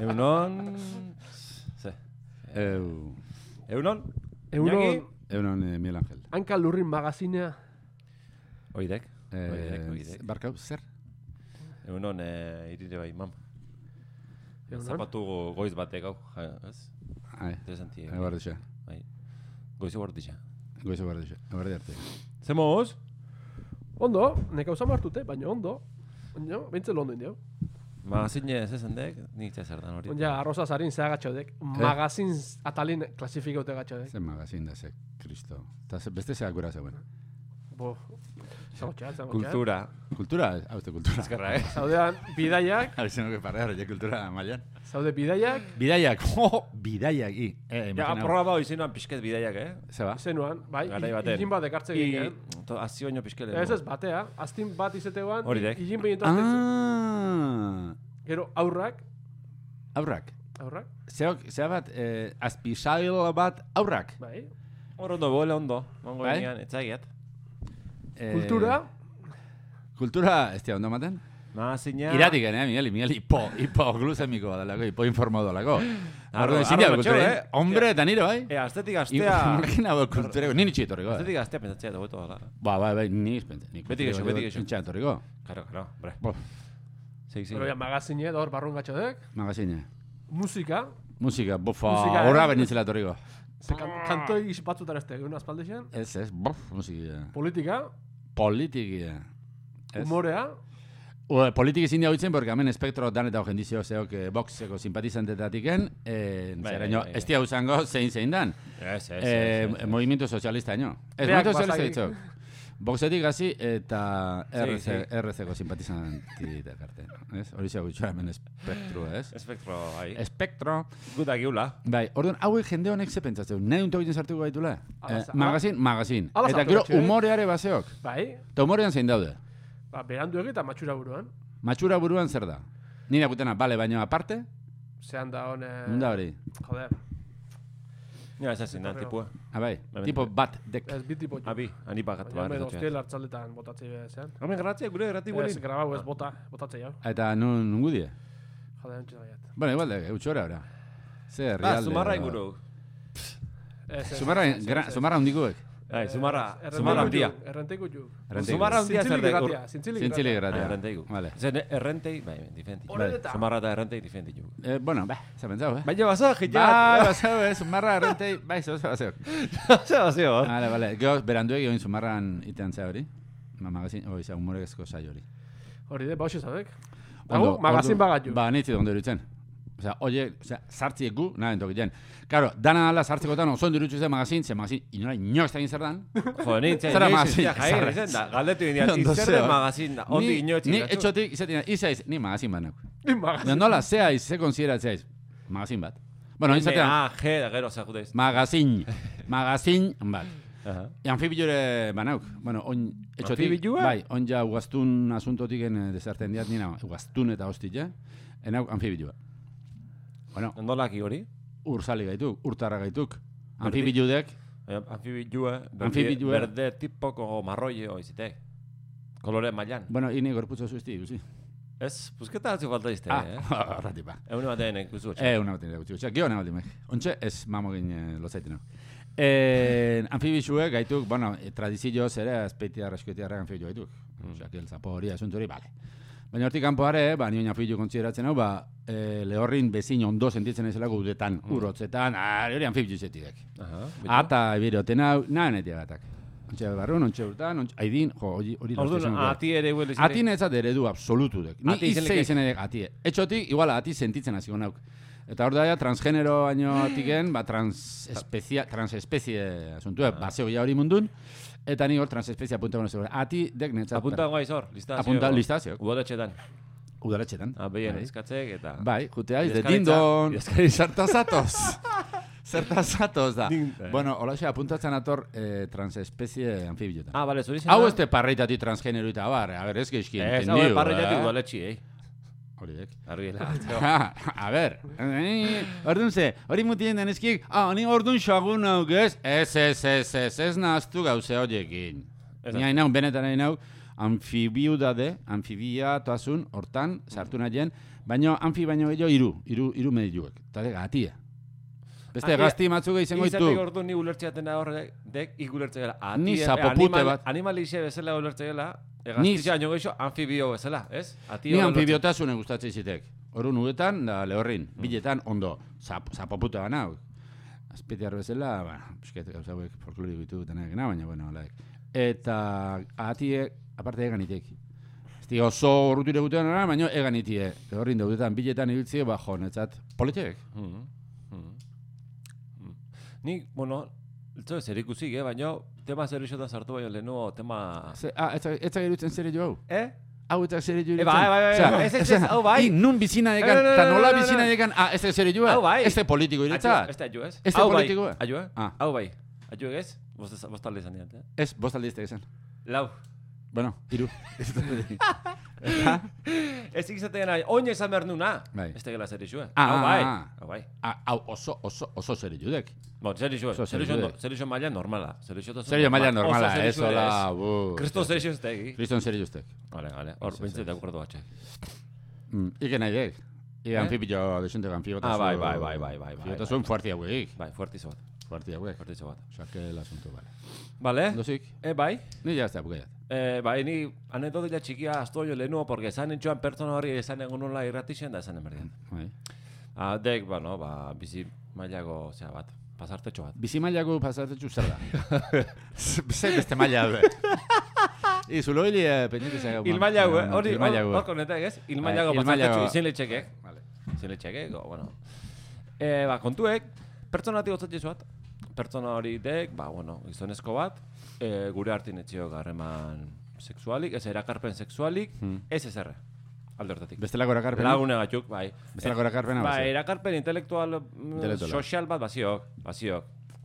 Egunon... Egunon? Egunon Miguel Ángel. Hanka Lurrin magazinea. Oidek. Barkau, zer? Egunon irire bai, mam. Egunon? Zapatu goiz batek hau, ez? Interesanti. Eguardixa. Goizu bordixa. Goizu bordixa. Eguardi arte. Zemoz? Ondo, neka usan martute, baina ondo. Baina, bentzel ondo indio. Magazine ez dek, nik zer dan hori. Onja, arroza zarin zea gatxodek. Magazin atalin klasifikote gatxodek. Zer magazin da ze, Kristo. Beste zeak gura zeuen. Bo, zagotxean. Kultura. Kultura? Hau ez kultura. Ezkerra, Zaudean, bidaiak. Hau izan nuke parrear, kultura mailan. Zaude bidaiak. Bidaiak, bidaiak, Ja, aprobau izenuan pixket bidaiak, Zeba? Izenuan, bai, Garai baten. igin bat ekartze ginen. Azio baino pixkele. Ez batea, aztin bat izeteguan, Horidek. igin behintu Gero, aurrak. Aurrak? Aurrak? Zea bat, azpisail bat aurrak? Bai. Hor ondo, bole ondo. Mongo Bai? enean, etzaiget. Kultura. Kultura, ez tia ondo maten? Magazina... Iratik, Miguel, hipo glusemiko badalako, hipo informado dalako. Orduan, zindia kultura, hombre, eta nire, bai? Astetik astea... Imagina kultureko, nini txitorriko. Astetik astea pentsatzea dugu gala. Bai, nini pentsa. Beti gexo. Pentsatorriko. Karo, bre. Pero ya magazine, hor barrun gatxodek. Magazine. Musika. Musika, bofa, horra benitzela torriko. Kantoi batzutan ez tegun aspaldexen. Ez, musika. Politika. Politikia. Humorea. Politiki zin diagoitzen, porque hemen espektro dan eta jendizio zeok boxeko simpatizantetatiken, zeraino, ez dia usango zein dan. Movimiento Socialista, no. Ez, Movimiento Socialista ditzok. Boxetik hasi eta RC-ko simpatizantitek arte. Hori zego itxoa hemen espektro, ez? Espektro, bai. Espektro. Guta giula. Bai, orduan, hauek jende honek ze pentsatzeu. Nahi unto egiten sartuko gaitula? Magazin. Eta gero humoreare baseok. Bai. Eta humorean zein daude? Berandu egita matxura buruan. Matxura buruan zer da? Nire akutena, bale, baina aparte? Zehan da hone... Nunda hori? Joder. Ja, ez ezin da, tipua. Bai, tipo bat dek. Ez bi tipo. Abi, ani bakat. Baina hemen hostel hartzaletan botatzei zehan. Hemen gratzia, gure grati gurin. Ez, grabau ez botatzei jau. Eta nun gudie? Joder, entxu daiat. Bueno, igual, eutxora ora. Zer, realde. Zumarra inguru. Zumarra hundikuek. Zumarra handia. Errenteiku ju. Zumarra handia zer dek. Zintzili gratia. Errenteiku. Zen errentei, bai, difenti. Zumarra eta errentei difenti ju. Bueno, zer pentsau, Baina bazo, jitxat. Bai, bazo, Zumarra, errentei, bai, zer bazeok. Zer. Vale. Gero, beranduek egin Zumarran itean zea hori. Magazin, oiza, humorezko saio hori. Hori de, bauxe zabek. Dago, magazin bagat ju. Ba, nitzi ondo irutzen. Sartziek gu, nahi entok iten. Karo, dana ala sartzikotan oso ondo irutzu zen magazin, ze magazin, inora inoz egin zer dan. Jo, nintzen, galdetu indian, zer den magazin da, ondi inoz egin. Ni etxotik, izaiz, ni magazin bat nauk. Nola, zea iz, ze konsideratzea iz, magazin bat. Bueno, izatean... G, da gero, zakuteiz. Magazin bat. Anfibillure banauk. Bueno, etxotik... Anfibillua? Bai, on ja ugaztun asuntotiken desarten diat, nina, ugaztun eta hostia, enauk anfibillua. Bueno, ondolaki hori? Urzali gaituk, urtarra gaituk. Anfibilludek. Anfibillua, berde tipoko marroie oizitek. Kolore mailan. Bueno, ini gorputzo zuzti, guzi. Ez, pusketa atzu falta izte, Ratipa. Eune batean ikusi gotxe. Eune batean ikusi gotxe. Gio nahi bat Ontxe, ez mamogin lozaiten hau. Anfibillue gaituk, bueno, tradizioz ere, azpeitiarra, eskuetiarra anfibillu gaituk. Osea, zapo hori, asunto hori, bale. Baina hortik kanpoare, nioen anfibillu kontsideratzen hau, lehorrin bezin ondo sentitzen ezelako udetan, urrotzetan, hori anfibillu zetidek. Ata ebiroten hau, nahi netia batak. Ontxe barrun, ontxe urtan, haidin, hori Orduan, ati ere huele zine? Ati netzat eredu absolutu dek. Ni izze izen edek ati. Etxotik, igual, ati sentitzen hasiko nauk. Eta hor daia, transgenero baino atiken, transespezie asuntua, baseo ja hori mundun, eta ni hor transespezie apuntago nezu. Ati dek netzat. Apuntago gaiz hor, listazio. Apunta listazio. Udaletxetan. Udaletxetan. Behien ezkatzek eta... Bai, jutea, izde dindon, zertazatoz. Zertazatoz da. Bueno, holaxe apuntatzen ator transespezie anfibillotan. Bale, zuri zena? Hau ez te parreitati transgenero eta bar, a ber, ez geizkien. Ez, hau parreitati udaletxi, Hori dek. A ber, orduan ze, hori mutien den ezkiek, ni orduan xagun nauk ez? Ez nahaztu gauze horiekin. Ni hain nau, benetan hain nau, anfibiatasun hortan sartu nahien, baina anfi baino gehiago hiru mediluek. Eta gatia. Beste gazti matzuk izango ditu. Izatek ordu ni ulertzeaten da horrek, igulertzea gela. Ni zapopute bat. Animalixe bezala ulertzea gela, egaztizia baino gehiago anfibio bezala, ez? Ni anfibiotasunen gustatzen zitek. Horu nugetan, da lehorrin, biletan ondo, zapopute gana. Azpitiar bezala, pisket gauzauek folklorik ditu dutena egina, baina, bueno, laik. Eta ahatiek, aparte eganitek. Ez oso urrutire gutean ara, baina eganitie. Lehorrin daudetan, biletan ibiltzie, jo, netzat, politek. Ni, bueno, zer ikusik, baina tema zer isotan sartu baino lehenuo, tema... Ez zagerutzen zer jo hau? Hau eta zer jo bai, ez, hau bai. Nun bizina dekan, eta nola bizina dekan, ez zer jo hau? Ez da politiko iretzat? Ez da jo ez? Ez da politiko? Hau bai. Hau ez? Bostalde izan diat, Ez, bostalde izan izan. Lau. Bueno, hiru. Ez ikizaten nahi, oin esan behar nuna. Ez tegela zer isu, Hau bai. Hau oso zer idudek. Bon, zer isu maila normala. Zer isu maila normala, ez hola. Kriston zer isu ez tegi. Kriston zer isu ez tegi. Vale, hor, bintzet dakuratu batxe. Ike nahi dek. Anfibio, desente anfibiotasun. Bai. Anfibiotasun fuerti hauek. Bai, fuerti bat. Fuerti hauek. Osaque el asunto, vale. Vale. Dosik. Bai. Ni ya está, bukaiat. Bai, ni anekdotila txikia asto jo lehenuo, porque esan entxoan pertsona hori esan egon nola irratixen da esan emerdian. Dek, bueno, bizi mailako, bat, pasartetxo bat. Bizi mailako pasartetxo zer da? Beste maila du. Zulo hili pendiente zaga. Ilmailago, hori, hor konetak ez? Ilmailago pasartetxo, izen letxekek. Izen letxekek, bueno. Kontuek, pertsonatik gotzatzen bat. Pertsona hori dek, gizonezko bat, gure hartin etxiok harreman sexualik, ez erakarpen sexualik, ez ezerre, alde hortatik. Bestelako erakarpena? Lagune gatuk, bai. Bestelako erakarpena? Bai, erakarpen intelektual, sozial bat baziok.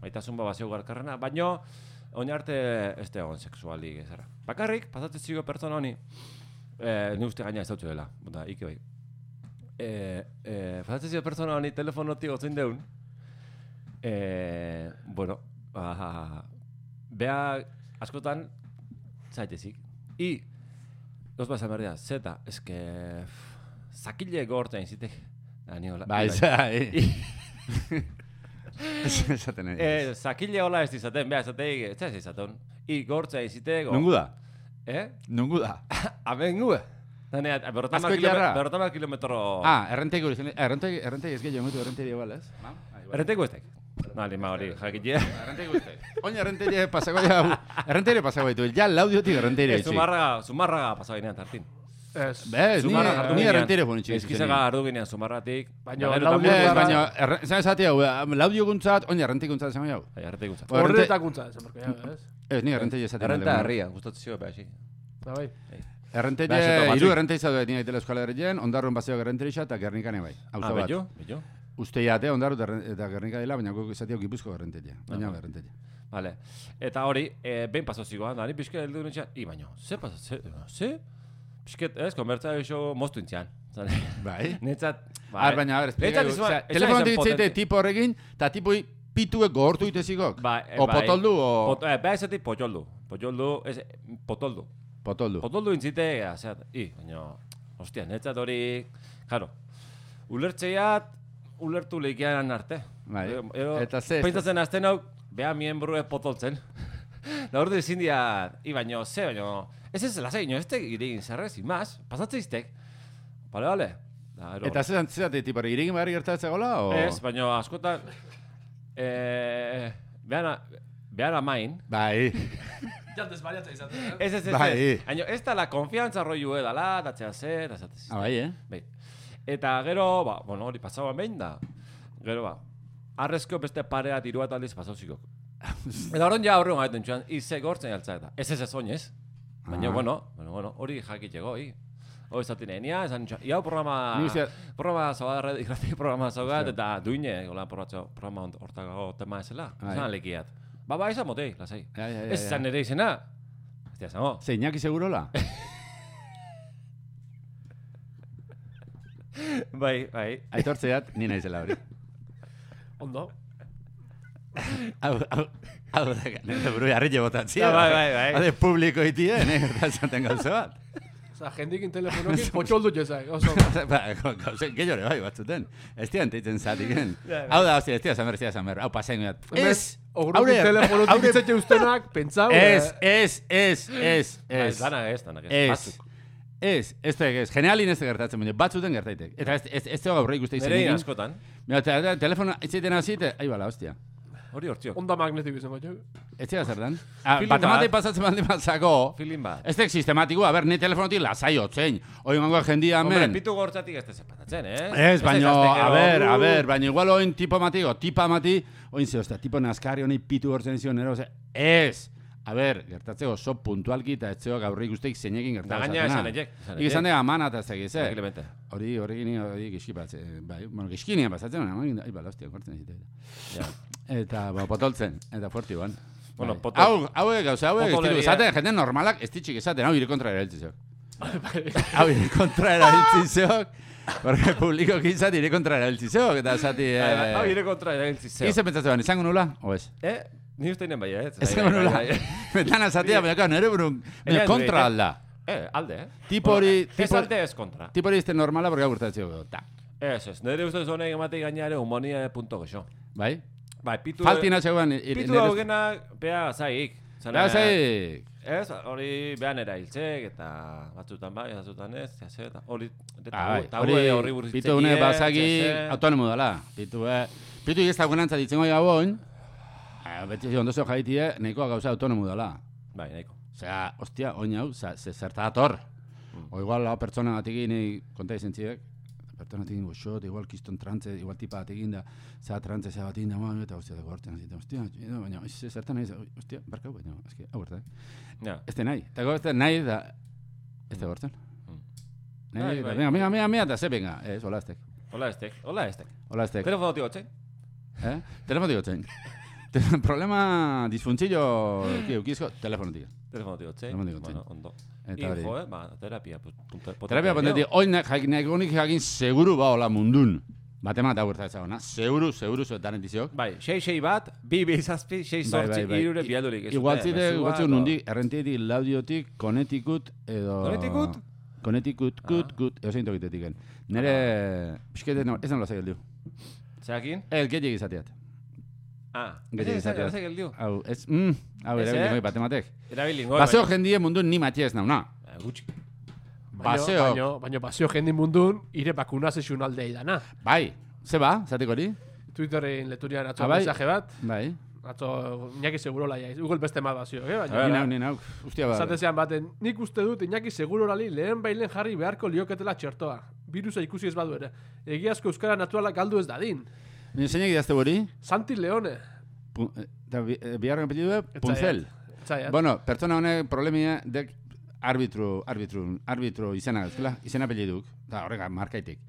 Baitasun bat baziok garkarrena, baina oin arte ez da egon sexualik ezerre. Bakarrik, pasatzen zigo pertsona honi, ni uste gaina ez dautxo dela, ike bai. Pasatzen zigo pertsona honi telefonotik gotzen deun, bueno, bea askotan zaitezik. Gauz bat zamerdia, zeta, eske zakile gortzen zitek. Bai, esaten nahi. Zakile hola ez izaten, bea esateik, ez izaten. Gortzen zitek. Nungu da? Nungu da? Abengu. Berrotama kilometro... Errentegi hori, errentegi ez gehiago mutu errentegi igual, ez? Errentegi ez tek. Nali, hori, jakitia. Errentegi guztek. Oina errentegi pasako ya... Errentegi pasako ditu, ja laudiotik errentegi etxik. Zumarraga pasako ginean tartin. Ni errentegi fonitxik. Ezkizaga ardu ginean zumarratik. Baina, zan esati hau, laudio guntzat, oina errentegi guntzat esan hau. Errentegi guntzat. Horretak guntzat, esan berko, ez? Ez, ni errentegi esati. Errenta herria, gustatzen zio, beha, xik. Bai. Errentegi, hiru errentegi zaude nire aitela Euskal Herrien, ondarroen paseo errentegi eta Gernikane bai. Bello? Uste jate, ondarro eta Gernika dela, baina guk izatio Gipuzko errentegia. Baina errentegia. Vale. Eta hori, behin pasozikoa, nari pixket heldu nintxean, baina, ze pasaz, ze? Pixket, ez, konbertza iso moztu intzian. Bai? Netzat, bai. Baina, telefono ditzeite tipo horrekin, eta tipoi pituek gogortu itezikok? O potoldu, o... Beha ezatik potoldu. Potoldu. Potoldu intzite, baina, hostia, netzat hori, jaro, ulertzeiat, ulertu lehikian arte. Bai, eta ze... Pentsatzen azten hau, beha mienbrue potoltzen. Da hor dezin dia, baino, ez lasai, ez te iregin zerrez, imaz, pasatze iztek. Bale. Eta zezate, tipare, iregin behar gertatzea gola, o...? Ez, baino, askotan, behan amain. Bai. Jantez bariatza izaten, Ez. Baina, ez da la konfiantza rollu edala, datzea zer, azatez. Bai, Bai. Eta gero, hori pasagoan behin da. Gero, arrezko beste pareat iruat aldiz pasauzikok. Eta horren ja horren gaiten txuan, ize gortzen jaltza eta. Ez oinez. Baina, bueno, hori jakiteko, hori zaten enia, esan txuan, iau programa zaugat, irrati programa zaugat, eta duine, programa hortako tema ezela. Zan lekiat. Izan motei, lasai. Ez zan ere izena. Ez da zango. Zeinaki segurola? Bai. Aitortzeat, ni naizela hori. Ondo. Hau da, nire buru jarri botatzia. Bai. Hade publiko itie, eta esaten gauza bat. Osa, jendikin telefonokin potxoldu jezak. Oso, Gauze, gehiore bai batzuten. Ez tian teitzen zatiken. Hau da, hostia, ez tia zamer. Hau pasain bat. Ez! ogrukin telefonotik itzetxe ustenak, pentsau. Ez. Danak ez. Batzuk. Ez. Generalin ez gertatzen baina, batzuten gertaitek. Eta ez teo gaur ikuste izan. Nerein askotan. Mira, telefono itzaiten hazite, ahi bala, hostia. Hori hortziok. Onda magnetik izan batxo. Ez tira zer dan? Feeling Batematik bat. pasatzen baldin batzako. Feeling bat. Ez tek sistematikoa, ni telefonotik lasai otzein. Hoi gangoa jendia Hombre, men. pitu gortzatik ez dezepatatzen, Ez, baino, a ver, baino igual oin tipa mati, oin ze, ostia, tipo naskari honi pitu gortzen zion, ez. A ver, gertatzeko oso puntualki eta etzeo gaur ikusteik zeinekin Da gertatzen. gaina esan egek. Ikizan dega mana eta zegiz, Tranquilamente. Hori giski giskinian pasatzen, ahi bala, hostia, gortzen egite. Ja. Eta, potoltzen, eta fuerti ban. Bueno, Bai. potol. Hauek, gauza, hauek, Potoleria. esaten, jende normalak, ez ditxik esaten, hau ire kontra erabiltzizok. Hau ire kontra erabiltzizok, porque publiko gizat ire kontra erabiltzizok, eta esati... Hau ire kontra erabiltzi zeo. Ize pentsatzen ban, izango nula, o ez? Ni uste inen bai, Izango nula, betana esatia, baina nire burun, kontra alda. Alde, Tipo hori... Ez alde ez kontra. Tipo hori izte normala, porque hau gertatzeko, ta. Ez, nire ustez honek ematik gainare humonia.gexo. Bai? Bai, pitu... Faltina zegoen... Pitu daugenak, bea zaik. Bea zaik. Ez, hori behan erailtzek, eta batzutan bai, batzutan ez, eta hori... Hori pitu une bazaki autonomo dela. Pitu ez dagoenantza ditzen goi gabon, beti ondozo jaitie, nahikoa gauza autonomo dela. Bai, nahiko. Osea, ostia, oin hau, zerta dator. O igual lau pertsona batekin konta izan ziek, pertsona batekin goxot, igual kiston trantze, igual tipa batekin da, zera trantze, zera batekin da, eta ostia, dago hartzen zita, ostia, baina, zertan nahi, ostia, barkau, baina, eski, hau bertak. Ez da nahi, eta ez da nahi da, ez da gortzen. Nahi, venga, eta ze, venga, ez, hola estek. Hola estek. Telefono tigotzen? Telefono tigotzen. Problema disfuntzillo eukizko, telefono tigotzen. Telefono tigotzen. Bueno, ondo. Eta hori. Terapia. Terapia pontetik, hoi nagonik jakin seguru ba hola mundun. Batemat hau gertatzagona. Seguru zuetanen diziok. Bai, 6 bat, 2 zazpi, 6 sortzi, irure bialdurik. Igualtzite nundi, errentietik, laudiotik, konetikut, edo... Konetikut? Konetikut, kut, edo zein tokitetik. Nere, pixkete, ez nola zegeldiu. Zeakin? Ez, gehiek izateat. Gehiek izateat. Hau, erabilin goi batematek. Erabilin goi. Baseo jendie mundun ni matia ez nauna. Gutxi. Baseo. Baina baseo jendi mundun, ire bakunazizun aldei dana. Bai, ze ba, zateko hori? Twitterren leturian atzo mensaje bat. Bai. Atzo, Iñaki Segurola ja, Google beste mal bazio, Ni nau, ustia ba. Zatezean baten, nik uste dut Iñaki Segurolali lehen bailen jarri beharko lioketela txertoa. Virusa ikusi ez badu ere. Egiazko euskara naturala galdu ez dadin. Ni zeinek idazte hori? Santi Leone. Biharren apellidu Punzel. Bueno, pertsona honek problemia dek arbitro izena gazkela, izena apelliduk, da horrega markaitik.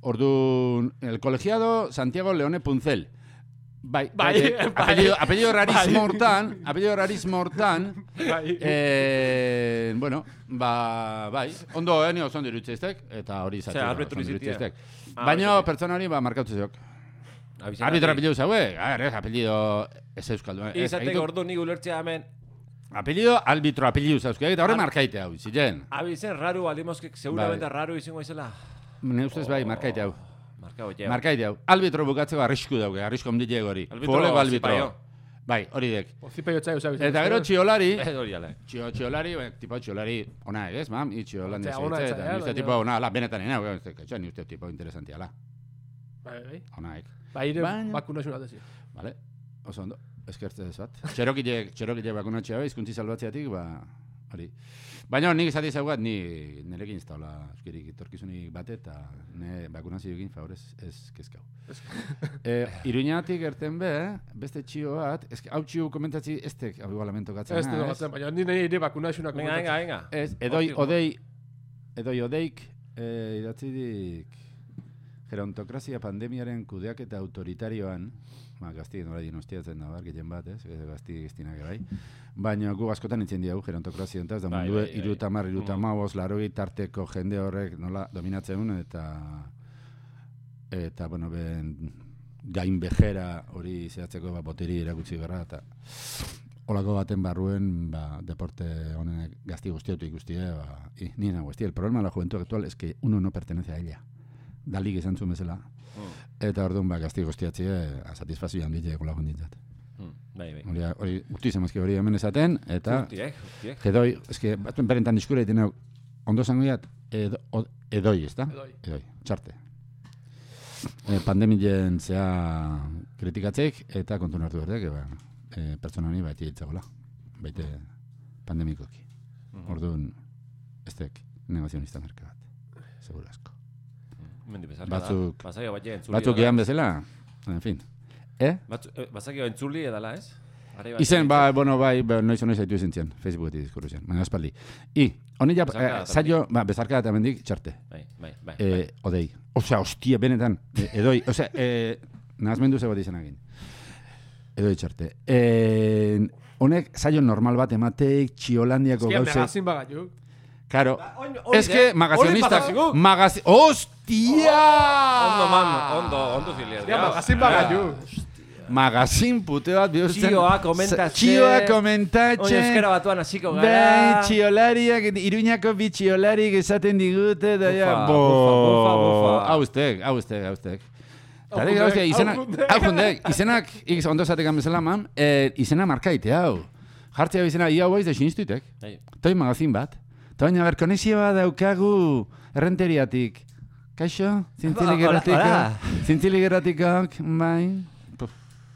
Orduan, el colegiado Santiago Leone Punzel. Bai. Apellido rarísimo hortan, bueno, bai, ondo ni oso ondo irutzeiztek, eta hori izatzen. Arbitro izatea. Baina pertsona hori markatu zeok. Arbitro apellidu zauek, apellido ez euskaldun. Izateko ordu nik ulertzea hemen. Apellido apellidu zauzke, eta horre markaite hau, ziren. Abizen raru aldimoskek, seguramente raru izango izela. Ne ustez bai, markaite hau. Markaite hau. Albitro bukatzeko arrisku dauke, arrisku omdile hori. Futboleko albitro. Bai, hori dek. Ozipeio txai usau. Eta gero txiolari. Txiolari, tipo txiolari, ona egez, mam, itxiolan dezaitze, eta nizte tipo, ona, la, benetan ena, nizte tipo interesantia, la. Bai. Ona egez. Bai, ire bakunazioa dezio. Vale, oso ondo. Eskertze ez bat. Txerokile bakunatxea bai, izkuntzi salbatzeatik, hori. Baina nik izati zaugat, nirekin ez daula euskirik etorkizunik bate, eta bakunazioekin favorez ez kezkau. Iruñatik erten beste txio bat, hau txio komentatzi ez tek, hau igualamento gatzen. Ez tek gatzen, baina nire bakunazioa komentatzi. Venga. Ez, odeik, idatzidik, gerontokrazia pandemiaren kudeaketa autoritarioan, gazti nola dinostiatzen da, gehien bat, gazti giztinak bai. Baina gu askotan itzen diagu gerontokrazia entaz, da mundu irutamar, larogei tarteko jende horrek nola dominatzen eta bueno, gain bejera hori zehatzeko boteri erakutsi berra, eta olako baten barruen, deporte honen gazti guztiotu ikustie, ni nago, el problema de la juventud actual es que uno no pertenece a ella. Dalik izan zuen bezala. Eta orduan, gazti guztiatzie, satisfazio handitzea kolakon dintzat. Bai. Hori, urtizemazki hori hemen esaten, eta... Urtiek. Edoi, eske, batzuen berentan diskura egiten ondo zango diat, edoi, ezta? Edoi, txarte. Pandemien zea kritikatzeik, eta kontun hartu berdek, pertsona honi baiti ditzagola. Baite pandemikoki. Orduan, ez tek negozionista merke bat. Seguro asko. Batzuk egan bezala, en fin. Bazakio entzuli edala, ez? Izen, noiz haitu izin zian, Facebooketik diskurru zian, baina espaldi. Honi ja, saio, bezarka eta mendik, txarte. Bai. Odei. Osea, hostia, benetan. Edoi, osea, nahazmendu ze bat izan egin. Edoi txarte. Honek, saio normal bat emateik, Txiolandiako gauze... Eskia, magazin bagatuk. Claro, es que magazionistak... ¡Hostia! Ondo filia. Eskia, magazin bagatuk. Magazin pute bat bihurtzen... Txioa komentatzen... Oin euskera batuan hasiko gara... Bai, txiolariak, Iruñako bi txiolarik esaten digute... Bufa. Hauztek. Izenak, ondo esatekan bezala, man, izena markaite, hau. Jartzea izena, ia hau da sinistuitek. Toi magazin bat. Toina, konexioa daukagu errenteriatik. Kaixo? Zintzilik erratikok, bai...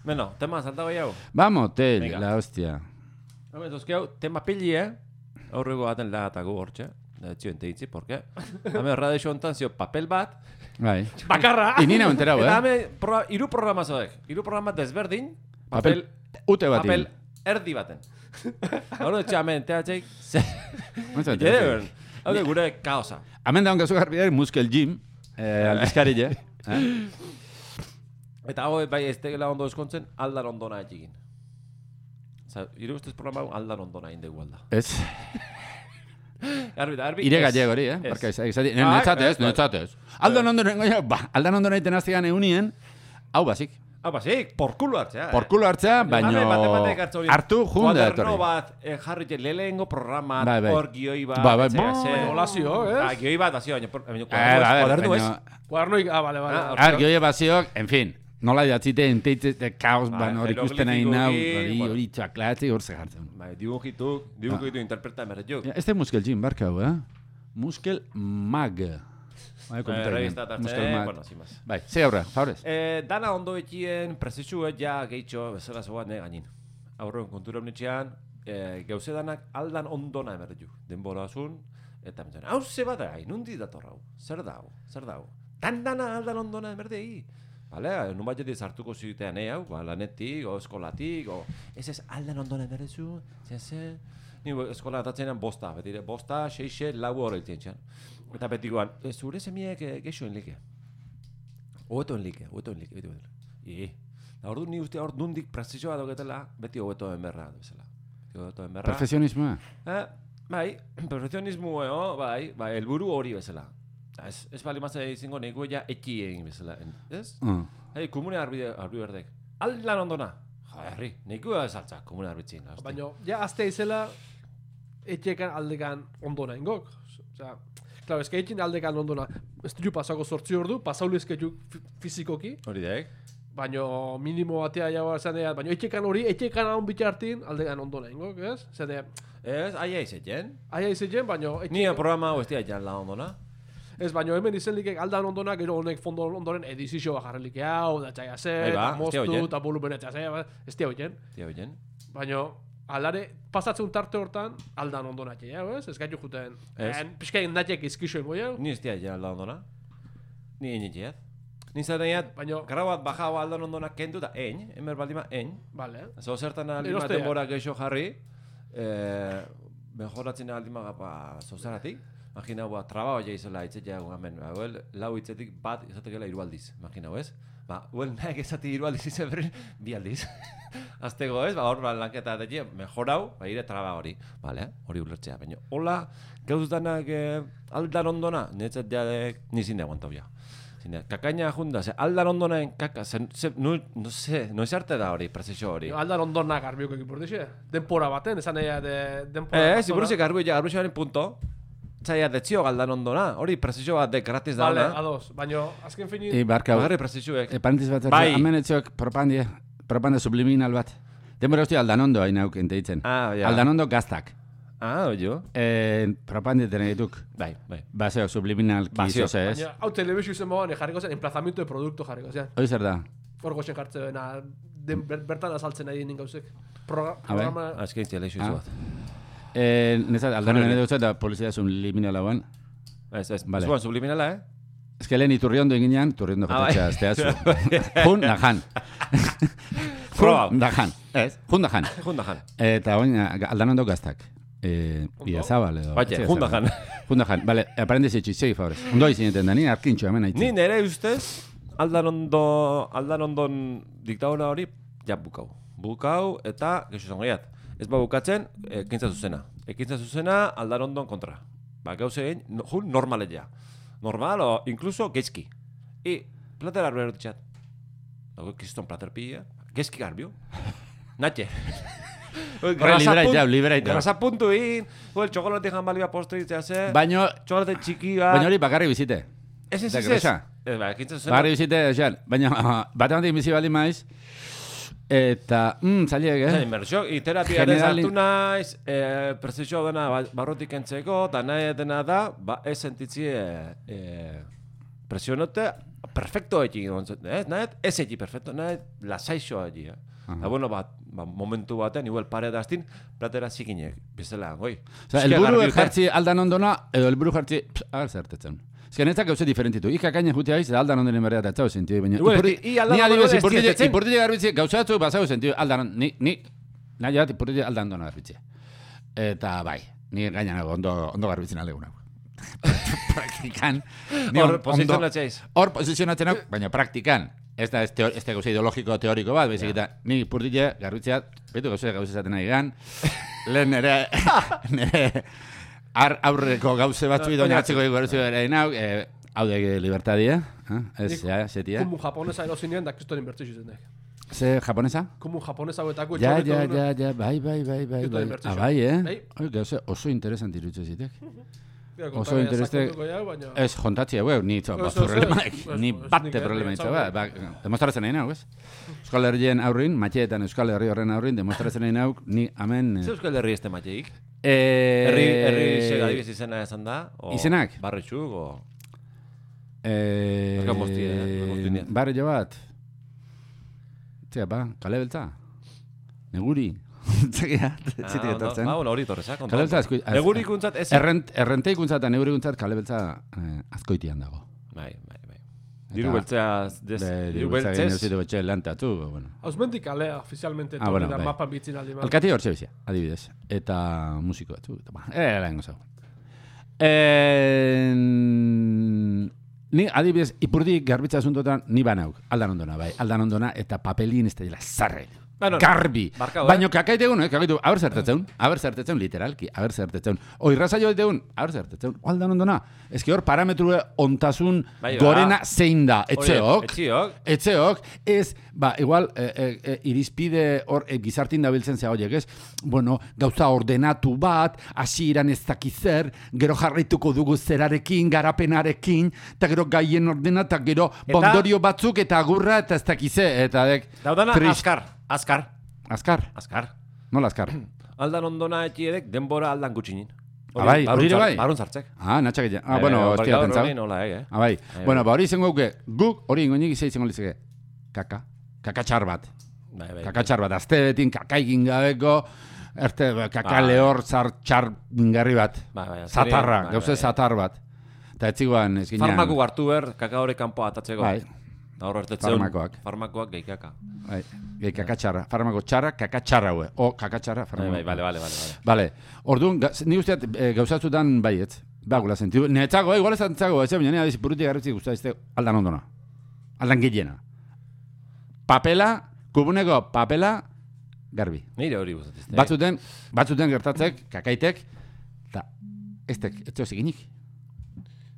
Bueno, tema saltago jau. Vamos, la hostia. Tema pilli, aurrego baten lagatako hortxe. Txio enteitzi, porke? Hame radio ontan zio papel bat. Bai. Bakarra! Inina enterau, Eta hame iru programa zoek. Iru programa desberdin. Papel ute batin. Papel erdi baten. Horo etxe hame enteatzeik. Hau de gure kaosa. Hemen daun gazu garbi Muskel Gym. Aldizkarille. Eta hau bai ez tegela ondo eskontzen, aldan ondona egin. Iru ustez programa aldan ondona egin dugu alda. Ez. Arbi. Ire gallegori, Barka izati. Netzatez. Aldan ondona egiten aztegan egunien, hau basik. Porkulo hartzea. Porkulo hartzea, baino hartu junde datorri. Kuaderno bat jarri lehengo programa, hor gioi bat. Olazio, Gioi bat, bazio, kuaderno ez. Kuadernoik, bale. Gioi bazioak, en fin. Nola idatzite, enteitze, kaos, hori ikusten nahi nau, hori txaklatzi, hor zehartzen. Dibujitu interpreta merretuk. Ez da Muskel Gym, barka hau, Muskel Mag. Revista tartzen, sin más. Bai, ze aurra, favorez. Dana ondo etxien, prezesua ja gehitxo, bezala zoan gainin. Aurroen kontura honetxean, gauze danak aldan ondona emerretuk. Denbora azun, eta mentxan, hau ze bat da, nundi dator hau, zer dau. Dana aldan ondona emerdei. Vale, nun bat jetiz hartuko zitean hau, lanetik, o eskolatik, o... Ez aldan ondona emerrezu, ni eskola atatzen bosta, betire, bosta, 6, 4 hori iltzen. Eta betikoan, zure semiek geixo enlike. Oeto enlike, beti. Eta ordu ni uste hor nundik prezizioa dauketela, beti oeto enberra. Perfekzionismoa? Bai, perfekzionismoa, bai, helburu hori bezala. Ez bali mazera izango nego ja eki egin bezala, ez? Komune arbi berdek. Aldan ondona. Herri, nego ezaltzak komune arbitzin. Baina, ja azte izela, etxekan aldekan ondona ingok. Osea, claro, es que etxin aldekan ondona. Ez du pasako 8 ordu, pasauli esketu fizikoki. Hori daik. Baina minimo batea jau esan dira, baina etxekan hon bitartin aldekan ondona ingok, ez? Ez, aia izetzen. Baina... Ni programa hau ez dira jan la ondona. Ez, baina hemen izen likek aldan ondona, gero honek fondo ondoren edizizio bajarrelik hau, da txaia ze, eta moztu, eta volumenetzea ze, ez tia hoien. Baina, alare, pasatzen tarte hortan, aldan ondona txea, ez gaitu juten. Piskaien natiek izkixoen goi hau. Ni ez tia jan aldan ondona. Ni egin etxeat. Ni zaten eat, gara bat baja aldan ondona kendu da, emer baldima, Vale. Zo zertan aldima denbora geixo jarri, mejoratzen aldima gapa zozeratik. Imagina, traba baina izela itzetea hemen, lau itzetik bat izatekela 3 aldiz, imagina, ez? Naik ezati 3 aldiz izan berri, 2 aldiz. Aztego, ez? Hor lanketa deti, mejorau, ire traba hori. Bale, hori ulertzea, baina. Hola, gauz danak aldan ondona, netzat jadek nizin de aguantau ja. Kakaina junda, aldan ondonaen kaka, noiz arte da hori, prezesio hori. Aldan ondona garbioko ekipurtixe. Denpora baten, esan nahi denpora. Ziburuzek garbiaren punto. Zaila detzio galdan ondona, hori prezesio bat de gratis da. Vale, ados, baina azken fini... Bagarri prezioek. Parentis bat, hemen etziok propaganda subliminal bat. Denbora hostia aldan ondo hain hauk enteitzen. Aldan ondo gaztak. Oio. Propaganda tenen dituk. Bai. Baseo subliminal kizo ze ez. Baina, hau telebizio izen mogan jarriko zen, emplazamiento de producto jarriko zen. Hoi zer da? Hor goxen jartze bena, bertan azaltzen nahi dinen gauzek. Programa... Azkein ziala iso bat. Nezat, aldanen edo da polizia subliminala guan. Ez, zuan subliminala, Ez que lehen iturriondo eginean, turriondo jatetxea azteazu. Jun da jan. Jun da jan. Eta oin, aldanondo gaztak. Iazabal edo. Baina, jun da jan. Bale, aparendiz etxizei, favorez. Ondo izineten da, ni arkintxo hemen haitzen. Ni nere ustez, aldanondon diktadura hori, ja bukau. Bukau eta, gexo zongaiat. Ez ba bukatzen, ekintza zuzena. Ekintza zuzena aldanondon kontra. Ba, gauze egin, jun normalea. Normal o incluso geizki. Plater arbero ditxat. Dago kiston plater pilla. Geizki garbio. Natxe. Liberait. Grasa puntu in. El chocolate jambalibia postre ditzea ze. Baino... Chocolate txiki bat. Baina hori bakarri bizite. Ez. Bakarri bizite, esan. Baina bat emantik bizi baldin maiz. Eta, zaliek, Inmersio, terapia ere zartu naiz, prezesio dena barrotik entzeko, eta nahi dena da, ez sentitzie presionote, perfecto egi, nahi ez egi perfecto, nahi lasaixo egi. Eta bueno, momentu batean, igual pare daztin, platera zikinek, bizela, goi. Elburu jartzi aldan ondona, edo elburu jartzi, zertetzen. Ez que netzak gauze diferentitu. Ikakaina jutea iz, aldan ondoren berrea eta txau sentidu. Ni adibidez, ipurtile garbitzi, gauzatzu basau sentidu, aldan, ni nahi bat ipurtile aldan ondona garbitzi. Eta bai, ni gaina ondo garbitzen aleguna. Praktikan. Hor posizionatzeaz. Hor posizionatzen hau, baina praktikan. Ez da gauze ideologiko teoriko bat, baizik eta ni ipurtile garbitziat, betu gauze esaten nahi gan, lehen nire aurreko gauze batzu idoina atzeko eguerzu ere inau, hau de libertadia, ez, setia. Kumu japonesa erozinean da kristoren bertzu zuzenek. Ze japonesa? Kumu japonesa huetako Ja, bai. Bai, gauze oso interesant irutze zitek. Oso interesante. Ez, jontatzia, ni batte problema itza, demostratzen nahi nau, ez? Euskal Herrien aurrin, matxeetan Euskal Herri horren aurrin, demostratzen nahi nau, ni amen... Ze Euskal Herri este matxeik? Herri segadibiz izena esan da? Izenak? Barritxuk, o... Barri jo bat. Zega, kale beltza. Neguri. Zitik etortzen. Hori torrezak. Negurikuntzat ez. Errenteikuntza eta negurikuntzat kale beltza azkoitian dago. Bai. Diru beltzea... Diru beltzea zitu betxe lantatu. Hausmendik kalea, ofizialmente, da mapan bitzin aldi. Alkati hor txebizia, adibidez. Eta musiko batzu. Lahengo zau. Ni adibidez, ipurdi garbitza asuntotan, ni banauk. Aldan ondona, bai. Aldan ondona eta papelin ez da dila zarre. Garbi. Baina kakaitegun, kakaitu, haber zertetzen, literalki, haber zertetzen. Oirraza joa ditegun, haber zertetzen. Aldan ondona. Ez ki hor parametrue ontasun gorena zein da. Etxeok. Ez, igual, irizpide hor gizartin dabiltzen zea horiek, ez? Bueno, gauza ordenatu bat, hasi iran ez dakizer, gero jarraituko dugu zerarekin, garapenarekin, eta gero gaien ordena, eta gero bondorio batzuk, eta agurra, eta ez dakize, eta dek... Daudana, Azkar. Nola azkar? Aldan ondona etxiedek denbora aldan gutxinin. Bai, hori ere bai? Barun zartzek. Natxak egin. Bueno, hostia pentsau. Bai. Bueno, hori izango guke, guk hori ingoinik izan izango litzeke. Kakatxar bat. Kakatxar bat. Azte betin kakaikin gabeko, kaka lehor txar ingarri bat. Zatarra, gauze zatar bat. Eta etziguan ez ginean. Farmaku hartu ber, kaka hori kanpo atatzeko. Bai. Horro ertetzeun, farmakoak geikaka. Geikaka txarra, farmako txarra, kaka txarra hue. Kaka txarra, farmako. Bale. Bale, orduan, ni usteat gauzatzutan baietz. Bagula sentidu. Netzago, igual ez antzago, ez baina nire burutik garritzik guztatizte aldan ondona. Aldan gehiena. Papela, kubuneko papela, garbi. Nire hori guztatizte. Batzuten gertatzek, kakaitek, eta ez teozik inik.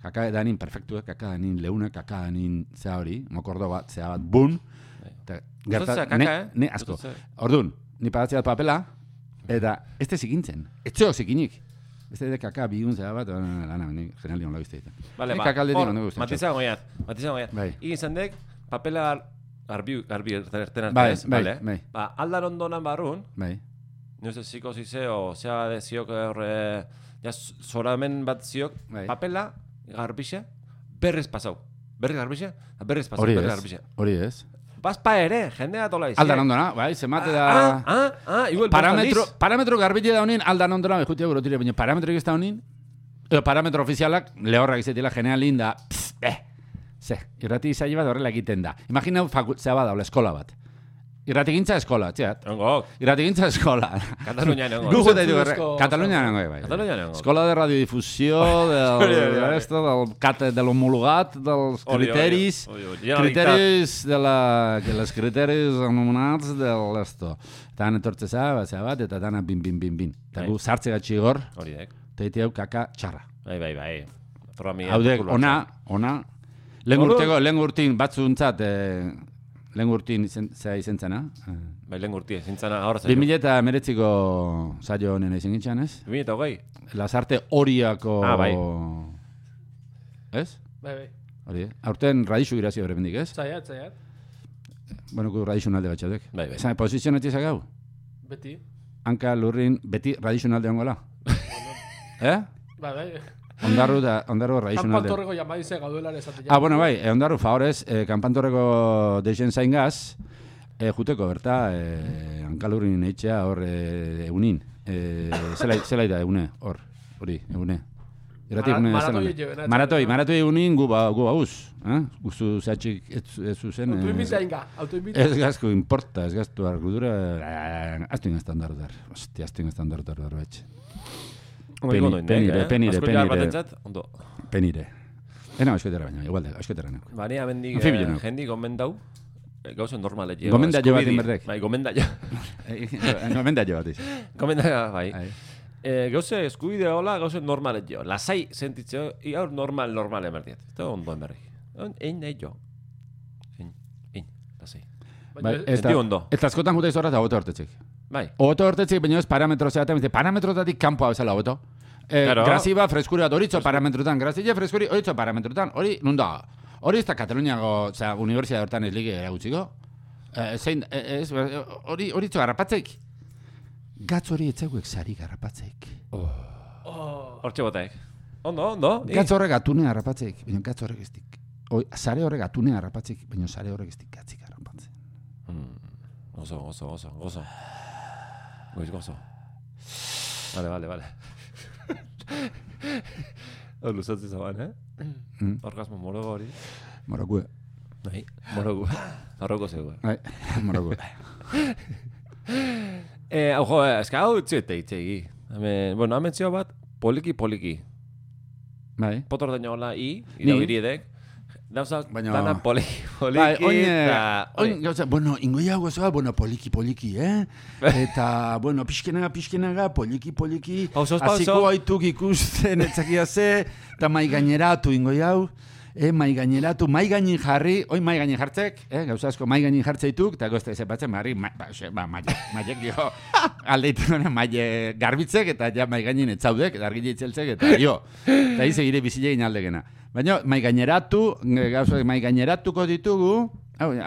kaka danin perfektuak, kaka danin leunak, kaka danin zea hori, mokordo bat, zea bat, bun. Ne, asko. Orduan, ni pagatzea papela, eta ez te zikintzen. Etxeok zikinik. Ez de kaka bigun zea bat, lana, genial dion labizte ditan. Vale, hor, matizan goiat. Igin zendek, papela garbi erten arte ez, vale? Aldan ondonan barrun, no sé, ziko zizeo, zea de ziok horre, ja, zoramen bat ziok, papela, garbixe, berrez pasau. Berrez garbixe, berrez pasau, berrez garbixe. Hori ez. Baspa ere, jendea tola izan. Aldan ondona, bai, zemate da... Igual parametro garbile da honin, aldan ondona, behutia burotire, baina parametro egizta honin, parametro ofizialak, lehorrak izetila, general linda, irrati izai bat horrela egiten da. Imagina zea bat daula, eskola bat. Irratigintza eskola, txeat. Irratigintza eskola. Katalunian nengo. Katalunian nengo, bai. Escola de radiodifusió, de l'homologat, dels criteris, dels criteris anomenats de l'esto. Eta etortze zea bat, eta dana bin. Eta gu sartze gatxi gor, teite hau kaka txarra. Bai. Haudek, ona, lehen urtin batzuntzat, lehen urtin zea izen zena. Bai, lehen urtin izen zena, ahora zailo. 2019ko zailo honen izan gintxan, ez? 2020. Lasarte horiako... bai. Ez? Bai. Hori, aurten radixu irazio bere bendik, ez? Zaiat. Bueno, ku radixu nalde batxatek. Bai. Zan, posizionetik zagau? Beti. Hanka lurrin, beti radixu nalde ongola? Bai. Ondarru radixu nalde. Kanpantorreko jamaize gauduelan esatea. Bueno, bai, ondarru favorez, kanpantorreko deixen zain gaz, juteko, berta, hankalurrin eitxea hor egunin. Zela da egune, hori, egune. Maratoi egunin gu bauz. Guztu zehatxik ez zuzen. Ez gazko importa, ez gaztu argudura. Aztu ingaztan darudar. Hostia, aztu ingaztan darudar betxe. Penire. Ena, askoetara baina, igualde, askoetara nago. Bani, amendik, jendik gomendau, gauzen normalet. Gomenda jo bat inberdek. Bai, gomenda jo. Gomenda jo bat iz. Gomenda, bai. Gauze eskubide hola, gauzen normalet jo. Lasai sentitzeo, gaur normal emerdiet. Eta ondo emerdi. Ein nahi jo. Ein, lasai. Senti ondo. Eta askotan juta izorra eta oto hortetzik. Bai. Oto hortetzik, baina ez parametro zeaten, parametrotatik kanpoa bezala oto. Graziba freskuri bat horitzo parametrotan, grazile freskuri horitzo parametrotan, hori nunda. Hori ez da Kataluniako universidad hortan ez lige eragutziko. Horitzo garrapatzeik. Gatz hori etzeuek zari garrapatzeik. Hortxe botaik. Ondo. Gatz horrek atune garrapatzeik, baina gatz horrek ez dik. Zare horrek atune garrapatzeik, baina zare horrek ez dik gatzik garrapatzen. Gozo. Gozo. Vale. Hor luzatzi zaban, Orgasmo morogo hori. Morogue. Bai, morogu. Arroko zego. Bai, morogue. Ojo, eska hau itxegi. Hemen zio bat, poliki. Bai. Potor daño hola irabiridek. Dauzak, dana poliki. Oin, gauza, ingoi hau gozoa, poliki, Eta, pixkenaga, poliki. Aziko haituk ikusten etzakia ze, eta maiganeratu ingoi hau. Maiganeratu, maiganin jarri, oin maiganin jartzek, gauza asko maiganin jartzeituk, eta gozta ezepatzen, maiek dio, aldeitu maile garbitzek, eta ja maiganin etzaudek, eta argile itzeltzek, eta jo. Eta hize gire bizilegin aldegena. Baina maiganeratu, gauza maiganeratuko ditugu,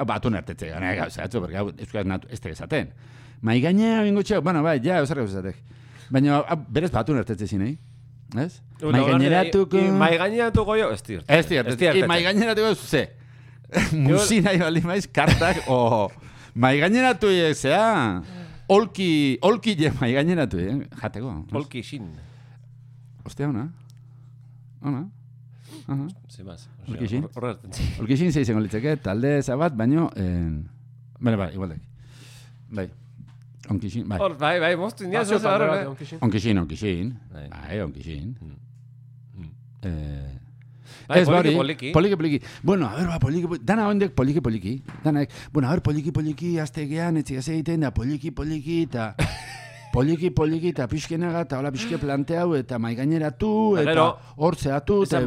batu nertetze gana, gauza, berga, euskaz natu, ez tegezaten. Maigainea ingotxeak, bai, ja, eusarra gauzatek. Baina berez batu nertetze zinei. ¿Es? Maiganeratuko jo, ez dirt. Maiganeratuko ze. Musina ibali maiz, kartak, maigaineratu zea, olki je maigaineratu, jateko. Olki xin. Ostia, ona. Olki xin. Olki xin ze izango litzeke, talde zabat, baino, bai, igualdek. Bai. Onkixin, bai. Bai, moztu indiaz ez ahora. Onkixin. Bai, onkixin. Bai, poliki. Poliki. Bueno, a ver, poliki. Dana ondek poliki. Dana, bueno, a ver, poliki, aztegean, etxigaz egiten da, poliki, eta... poliki eta pixkenaga, eta hola pixke planteau, eta maigaineratu, eta hortzeatu, eta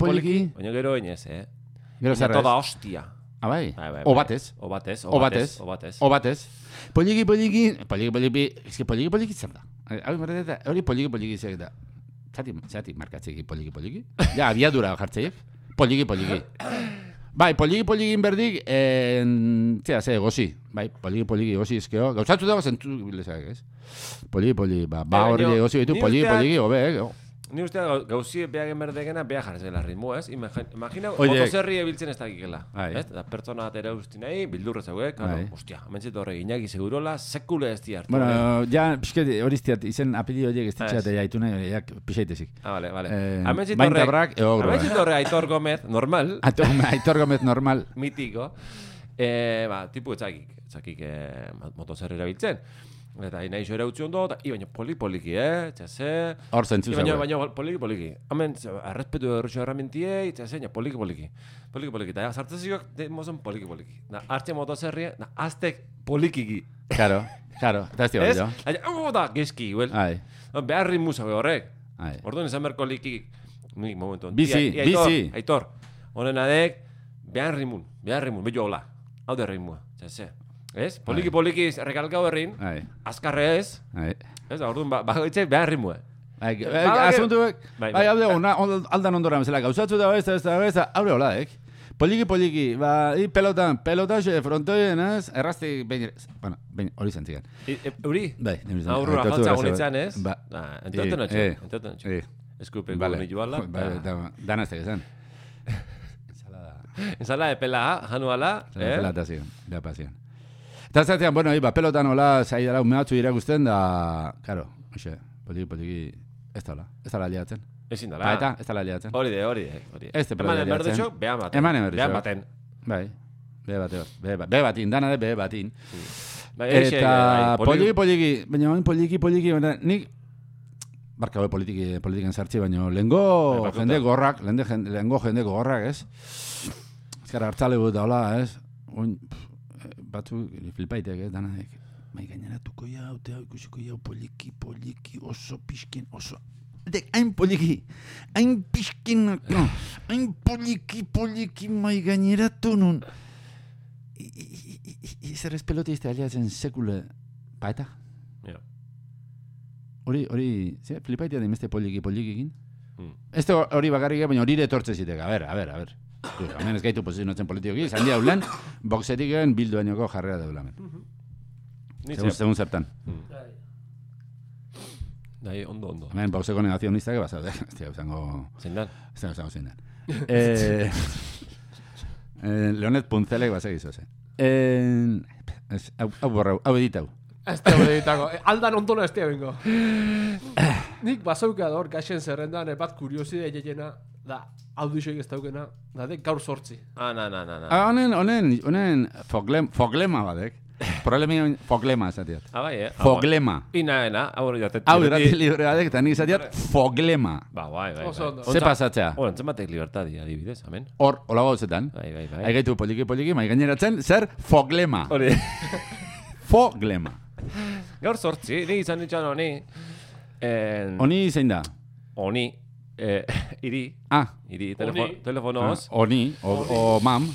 poliki. Baina gero inez, Gero zerrez. Toda hostia. Bai. O batez. Poliki, eske poliki zer da. Hori poliki zer da. Zati markatzeki poliki. Ja, abiadura jartzeiek. Poliki. Bai, poliki berdik, gozi. Bai, poliki gozi ezkeo. Gauzatzu dago zentu bilezak, ez? Poliki, hori gozi betu, poliki, hobe, Ni uste gauzi behagen berdegena beha jarrezela ritmo, ez? Imagina, motozerri ebiltzen ez dakikela. Ez? Da pertsona atera usti nahi, bildurra zeuek, ostia, amentzit horrek inaki segurola, sekule ez diartu. Bueno, ja, pixket hori iztiat, izen apeli horiek ez ditxate jaitu nahi, jak pixaitezik. Vale. Amentzit horrek Aitor Gomez, normal. Aitor Gomez, normal. Mitiko. Tipu etzakik motozerri erabiltzen. Eta nahi zo ere utzi ondo, baina poliki, txase... Hor zentzu zauek. Baina poliki. Hemen, arrespetu errutxo erramintiei, txase, poliki. Eta sartzezioak, demozon poliki. Artxe motozerria, aztek polikiki. Claro, eta ez dira. Da, gezki, huel. Behar ritmu zaue horrek. Orduan izan berko likik. Momentu. Bizi. Aitor, honen adek, behar ritmu, bello hola. Hau de ritmua, txase. Ez? Poliki rekalkau herrin, azkarre ez. Ez da, orduan, bagoitzek behar rimua. Asuntuek, hau aldan ondoran bezala, gauzatzu da ez, haure hola, Poliki, pelota frontoien, ez? Errazti, behin, hori zentzigan. Euri? Bai, aurrura jaltza gonitzen, ez? Entoten atxo. Eskupe gu nitu ala. Dana ez tegezan. Ensalada de pela, januala. Pela eta zion, da pazion. Eta zatean, pelotan hola zaidara umeatzu irakusten da, karo, poliki, ez da liatzen. Ezin dala. Eta, ez da liatzen. Hori de. Ez da liatzen. Eman baten. Bai, behe batin, dana de behe batin. Eta poliki, baina poliki, nik, barka hori politiken sartzi, baina lehengo jende gorrak, ez? Ez gara hartzalegu eta hola, ez? Batzu, flipaiteak, danaek. Gaineratuko jau, ikusiko jau, poliki, oso pixkin, oso... Hain poliki, hain pixkin, hain poliki, gaineratu nun. Zer ez pelotizte aliatzen sekule, paeta? Hori, flipaitea da imeste polikikin? Ez hori bakarrik, baina hori etortze ziteka, a ber. Hemen ez gaitu posizionatzen politikoki, zandi hau lan, boxetik egin bilduainoko jarrera daulamen. Segun zertan. Dai, ondo. Hemen boxeko negazionistak eba zaude. Zindan. Leonet Puntzelek bat segizo, hau editau. Ez da editako. Aldan ondona ez da bengo. Nik bazauka hor gaxen zerrendan, bat kurioside egena, da, audizioik ez daukena, da, gaur 8. Na. Honen foglema badek. Foglema esatiat. Bai, Foglema. Ina, hau jatet. Hau irrati libre badek, eta nik esatiat foglema. Bai. Ze pasatzea? Entzematek libertadi, adibidez, amen. Hor, hola gauzetan. Bai. Aigaitu poliki, mai gaineratzen, zer foglema. Hori. Foglema. Gaur 8, ni izan ditxan honi. Honi zein da? Honi. Iri. Iri, telefonoz. Honi, o mam.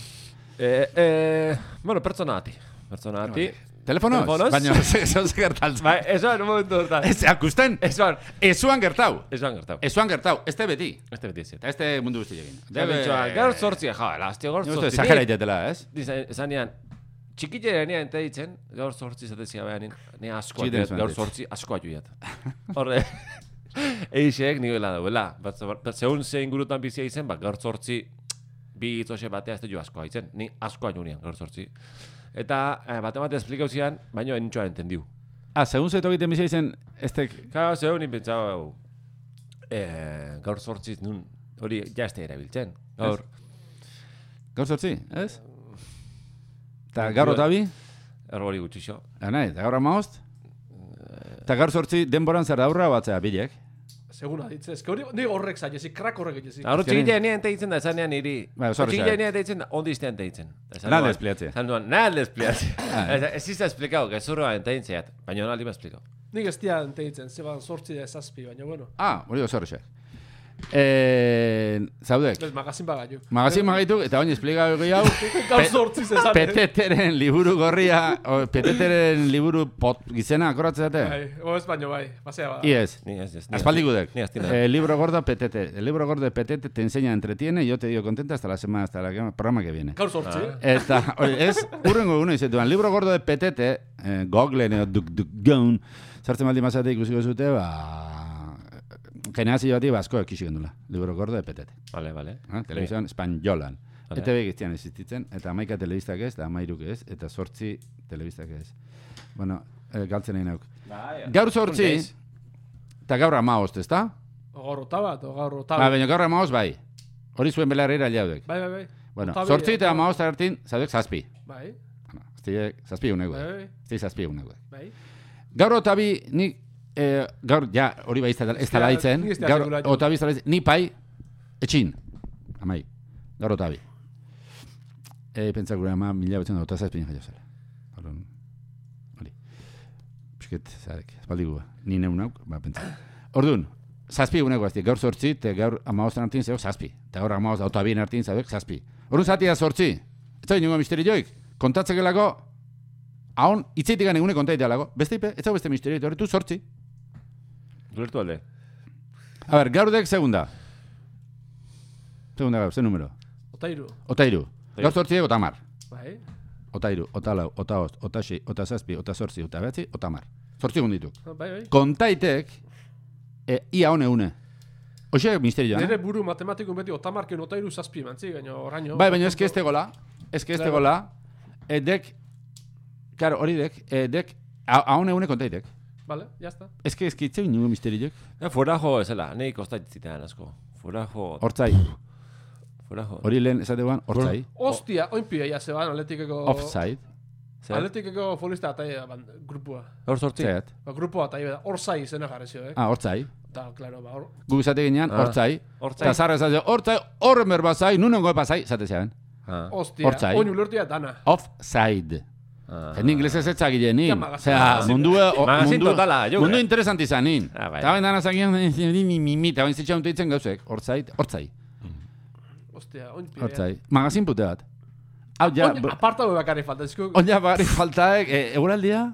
Bueno, pertsonati. Telefonoz? Baina, ez gertaltzen. Bai, esoan, un momentu gertal. Ez, akusten? Esuan gertau. Esuan gertau. Este beti. Este ez. Eta este mundu guztiekin. Gaur 8, elastio, gaur 8. Zajera itetela, ez? Zanean, txikitera nea ente ditzen, gaur 8 zatezia behan, nea askoa joiat, gaur 8 askoa joiat. Horre, eixek nioela dauela. Zeun ze ingurutan bizia izen, gaur 8 bi itzoxe batea ez da jo askoa itzen. Ni askoa joinean, gaur 8. Eta bate esplikau zian, baina entxoa entendiu. Segun zeto egiten bizia izen, estek... Claro, segun inpentsau, gaur 8 nun, hori ja ez da erabiltzen. Gaur 8, ez? Eta gaur otabi? Erbori gutxixo. Eta gaur amaost? Eta gaur 8 denboran zer daurra batzea bilek? Seguna ditze, eske hori horrek zaitezi, krak horrek egitezi. Hor txikitea nien teitzen da, esan nean iri. Txikitea nien teitzen da, ondi iztean teitzen. Nada espliatze. Nada espliatze. Ez izta esplikau, gezurroa enteintzea, baina naldi ma esplikau. Nik ez dia enteitzen, zeban 8-7, baina bueno. Hori oso horrexek. Zaudek. Ez magazin bagaitu. Magazin bagaitu, eta oin esplikago gehiago. Gaur 8 esan. Peteteren liburu gorria, Peteteren liburu gizena, akoratzen dute? Bai, ez baino bai, pasea bada. Iez. Aspaldi gudek. Libro gordo de Petete. El libro gordo de Petete te enseña, entretiene, y yo te digo contenta hasta la semana, hasta el programa que viene. Gaur 8. Eta, ez, urrengo uno izetuan, libro gordo de Petete, Googleen edo DuckDuckGoon, sartzen baldin mazate ikusiko zute, generazio bati asko ekixik dula. Libro gordo de Petete. Vale. Televizioan espainolan. ETV giztian existitzen, eta 11 telebistak ez, eta 13 ez, eta 8 telebistak ez. Bueno, galtzen egin nauk. Gaur 8, eta gaur 15, ez da? Gaur otabat, gaur otabat. Baina gaur 15 bai. Hori zuen belarra irailautek. Bai. Bueno, 8 eta 15 hartin, zaudek 7. Bai. Ez 7 unego. Ez 7 unego. Bai. Gaur otabi, nik, gaur, ja, hori bai ez da laitzen, gaur otabi ez da laitzen, ni pai, etxin, amai, gaur otabi. Pentsak gure ama, 1987 jaio zara. Hori. Pisket, zarek, espaldi gua, ni neun nauk, pentsak. Orduan, 7 unego azti, gaur 8, eta gaur 15 hartin zeok 7. Eta gaur 15 otabien hartin zeok 7. Orduan zatia 8, ez da inungo misteri joik, kontatzekelako, haun, itzetik gane egune kontaitea lago, beste ipe, ez da beste misteri, hori tu 8. Duertu alde. A ver, gaur dek segunda. Segunda gaur, ze número? Otairu. Gaur 8 ego tamar. Bai. Otairu, otalau, otaost, otaxi, otasazpi, otasortzi, otabeatzi, otamar. 8 segundituk. Bai. Kontaitek, ia hone une. Hoxe misterioa, nire buru matematikun beti otamarken otairu 7 mantzi, gaino oraino. Bai, baina eske este gola, dek, claro, hori dek, hone une kontaitek. Vale, ya está. Eske itzeu ningu misteriok. Fuera jo esela, nei kostaitzitan asko. Fuera jo. Hortzai. Hori lehen esateguan, hortzai. Hostia, oinpia ya se van Atletikeko. Offside. Atletikeko futbolista ataia grupua. Hor sortzi. Grupua ataia, Hortzai izena jarrezio, Hortzai. Da, claro, ba. Gu esate ginean, hortzai. Ta zarra esate, hortzai, horren berbazai, nunengo epazai, esate zean. Hostia, oin ulertia dana. Offside. En inglés ez etzagile nin. Osea, mundu interesanti izan nin. Eta bain dana zagian, eta bain zitxaun teitzen gauzek. Hortzai. Ostia, hortzai. Magazin pute bat. Aparta hau bakarri falta. Oina bakarri faltaek, eguraldia?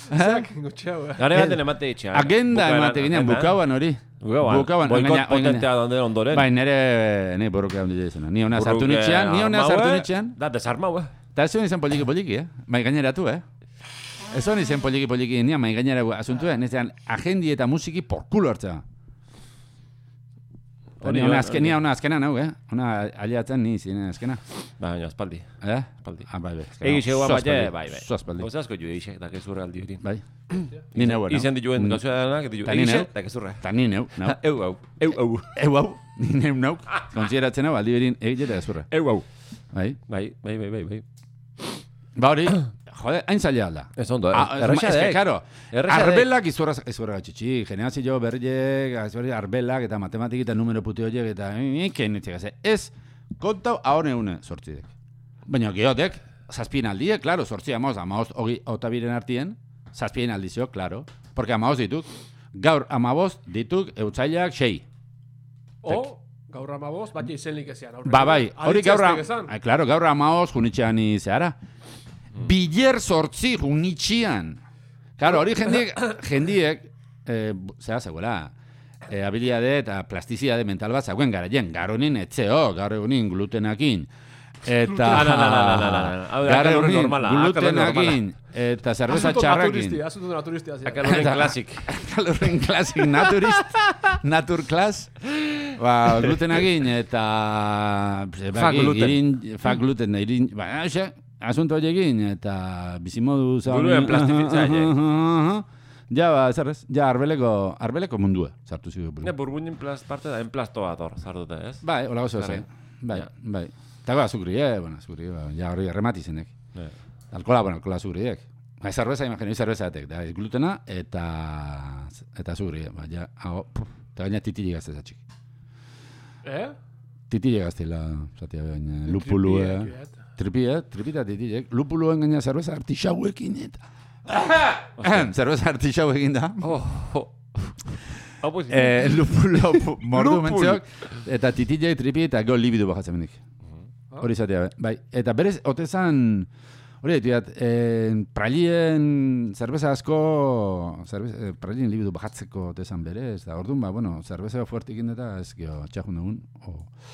Zak, gotxeau. Gare baten emate itxean. Agenda emate ginean, bukauan hori. Bukauan. Boikot potentea donde ondoren. Bai, nire borroka ondile izena. Ni hona sartu nitxean. Da, desarmau, Eta ez honi zen poliki, Mai gaineratu, Ez honi zen poliki, nia mai gaineragu asuntu, Nezean, agendi eta musiki porkulo hartza. Ni hona azkena nau, Hona aliatzen ni zinen azkena. Baina, espaldi. Espaldi. Bai. Egixe guan bat, bai. Espaldi. Hozazko jo egixe, da kezurra aldi hori. Bai. Ni neu, Izan dituen gauzua danak, egixe, da kezurra. Ta ni neu. Eu hau. Ni neu nau. Konsideratzen hau, aldi berin egixe da kezurra. Eu hau. Bai. Ba hori, jode, hain zaila alda. Ez ondo, errexadek. Karo, arbelak izurra gatxitxi, generazio berriek, arbelak eta matematik eta numero puti horiek eta ez, kontau ahone une sortzidek. Baina geotek, zazpien aldiek, klaro, sortzi amaoz, otabiren artien, zazpien aldizio, klaro, porque amaoz dituk, gaur amaboz dituk eutzaileak 6. Gaur amaboz, bat izenlik ezean. Bai, hori gaur amaoz junitxean izahara. Biler sortzi junitxean. Claro, hori jendiek, zera zegoela, habilidade eta plastizidade mental bat zagoen garaien, garonin etzeo, garonin glutenakin, eta garonin glutenakin, eta zerbeza txarrakin. Asunto naturistia. Kalorin klasik, naturklas. Glutenagin eta fak gluten irin, asunto horiekin eta bizimodu zaun. Buruen plastifitzaile. Ja, zerrez, arbeleko mundua sartu zidu. Burbuinin parte da, enplastoa ator, sartuta, ez? Bai, hola gozo zen. Bai. Eta azukri, ja hori errematizenek. Alkola azukriek. Zerbeza, imagino, zerbezatek, da, glutena eta azukri, ja, eta gaina titili gaztez atxik. Titile gaztela, zatea baina, lupulu, tripita titilek, lupuluen gaina zerbeza artixauekin eta Zerbeza artixau eginda. Hau pues. Lupulo mordu mentziok. Eta titillei tripi eta gol libidu bajatzen mendik. Hori izatea, bai. Eta berez, otezan... Hori dituat, prailien zerbeza asko... Prailien libidu bajatzeko otezan berez. Da, orduan, bueno, zerbeza fuertik indeta ez gio txajun dugun.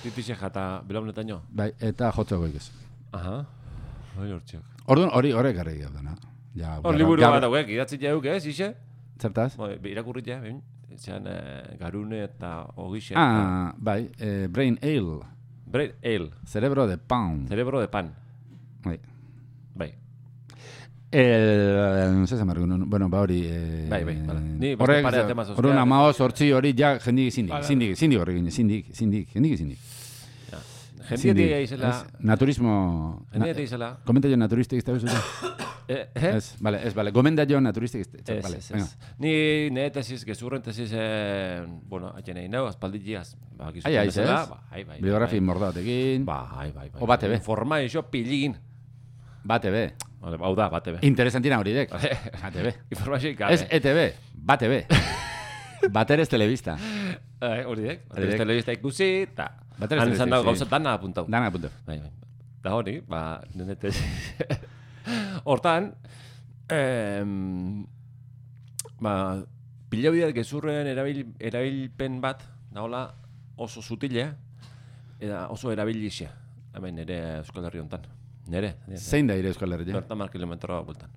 Titixe jata belaunetan jo? Bai, eta jotzeko ikez. Aha. Hori hortziok. Orduan, horrek garri gaudana. Hor liburu bat hauek, idatzi jauk ez, ixe? Zertaz? Irakurrit ja, behin. Zean garune eta ogixe. Bai, brain ale. Brain ale. Cerebro de pan. Cerebro de pan. Bai. Bai. No sé, bueno, ba hori... Bai, vale. Ni beste parea tema sozial. Horren amaoz, hortzi hori, ja, jendik horri gine, jendik. Jendik izela... Naturismo... Jendik izela... Komenta jo naturistik izte bezuta? Vale, gomenda jo naturistik izte. Ez. Ni nire tesis, gezurren tesis, bueno, haien egin nau, aspaldikiaz. Ai, ez? Biografi mordaotekin. Bai. O bate be. Informaizio piligin. Bate be. Hau da, bate be. Interesantina hori dek. Bate be. Informazio ikabe. Ez ETB, bate be. Bateres telebista. Hori dek. Bateres telebista ikusi, eta... Han izan dago gauzat dana apuntau. Dana apuntau. Bai. Da hori, nire tesis... Hortan, pila bideat gezurren erabilpen bat, nahola oso zutile, eta oso erabilixia. Hemen nire Euskal Herri honetan. Nire. Zein da ire Euskal Herri? 30 kilometroa bultan.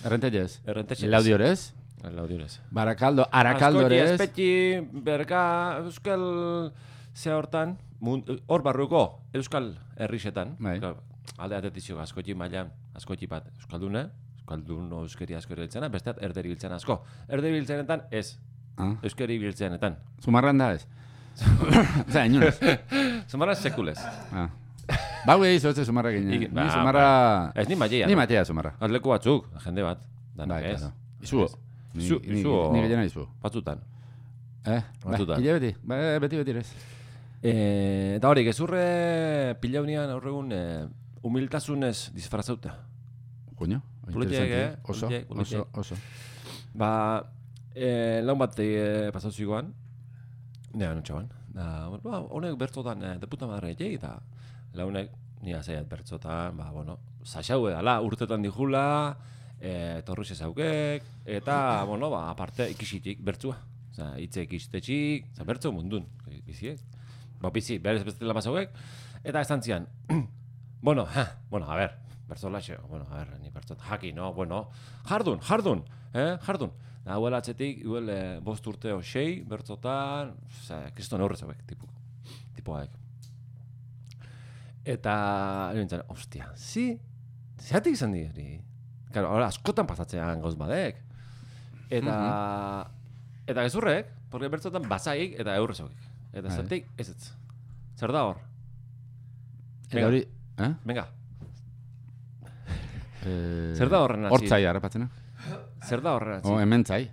Errentellez? Errentellez. Laudiorez? Laudiorez. Barakaldo, Arakaldorez? Azkoti, espetxi, berga, Euskal ze hortan, hor barruko Euskal Herrixetan. Alde atetizio askotxi mailan, askotxi bat Euskaldun euskeri asko biltzena, besteat erderi biltzena asko. Erderi biltzenetan ez, euskeri biltzenetan. Zumarran da ez? Oza, inunez? Zumarran sekulez. Bau egizu ez Zumarra ginen. Ni Zumarra... Ez ni Maia. Ni Maia Zumarra. Azleku batzuk, jende bat. Danak ez. Izu. Ni gellena izu. Batzutan. Batzutan. Ile beti. Beti ez. Eta hori, gezurre pila unian aurregun humiltasunez disfrazauta. Coño, interesante. Oso. Laun bat pasau zigoan, nire nutxaban. Honek bertzotan de puta madre jei, eta launek nire zaiat bertzotan, saxau edala, urtetan dijula, torruxe zaukek, eta, aparte ikisitik bertzua. Itze ikistetxik, bertzo mundun, biziek. Bizi, berez bestela mazauek, eta esan zian, a ver, bertzolaxe, ni bertzot, haki, no, jardun. Jardun. Hauela atzetik, bost urteo 6, bertzotan, kriston aurrezauek, tipoak. Eta, nintzen, ostia, zeatik izan diri? Claro, askotan pasatzean gauz badek. Eta gezurrek, porque bertzotan bazaik eta aurrezauek. Eta zeatik, ez. Zer da hor? Eta hori, Venga. Zer da horren atzi? Hortzai harrapatzena. Zer da horren atzi? Hementzai.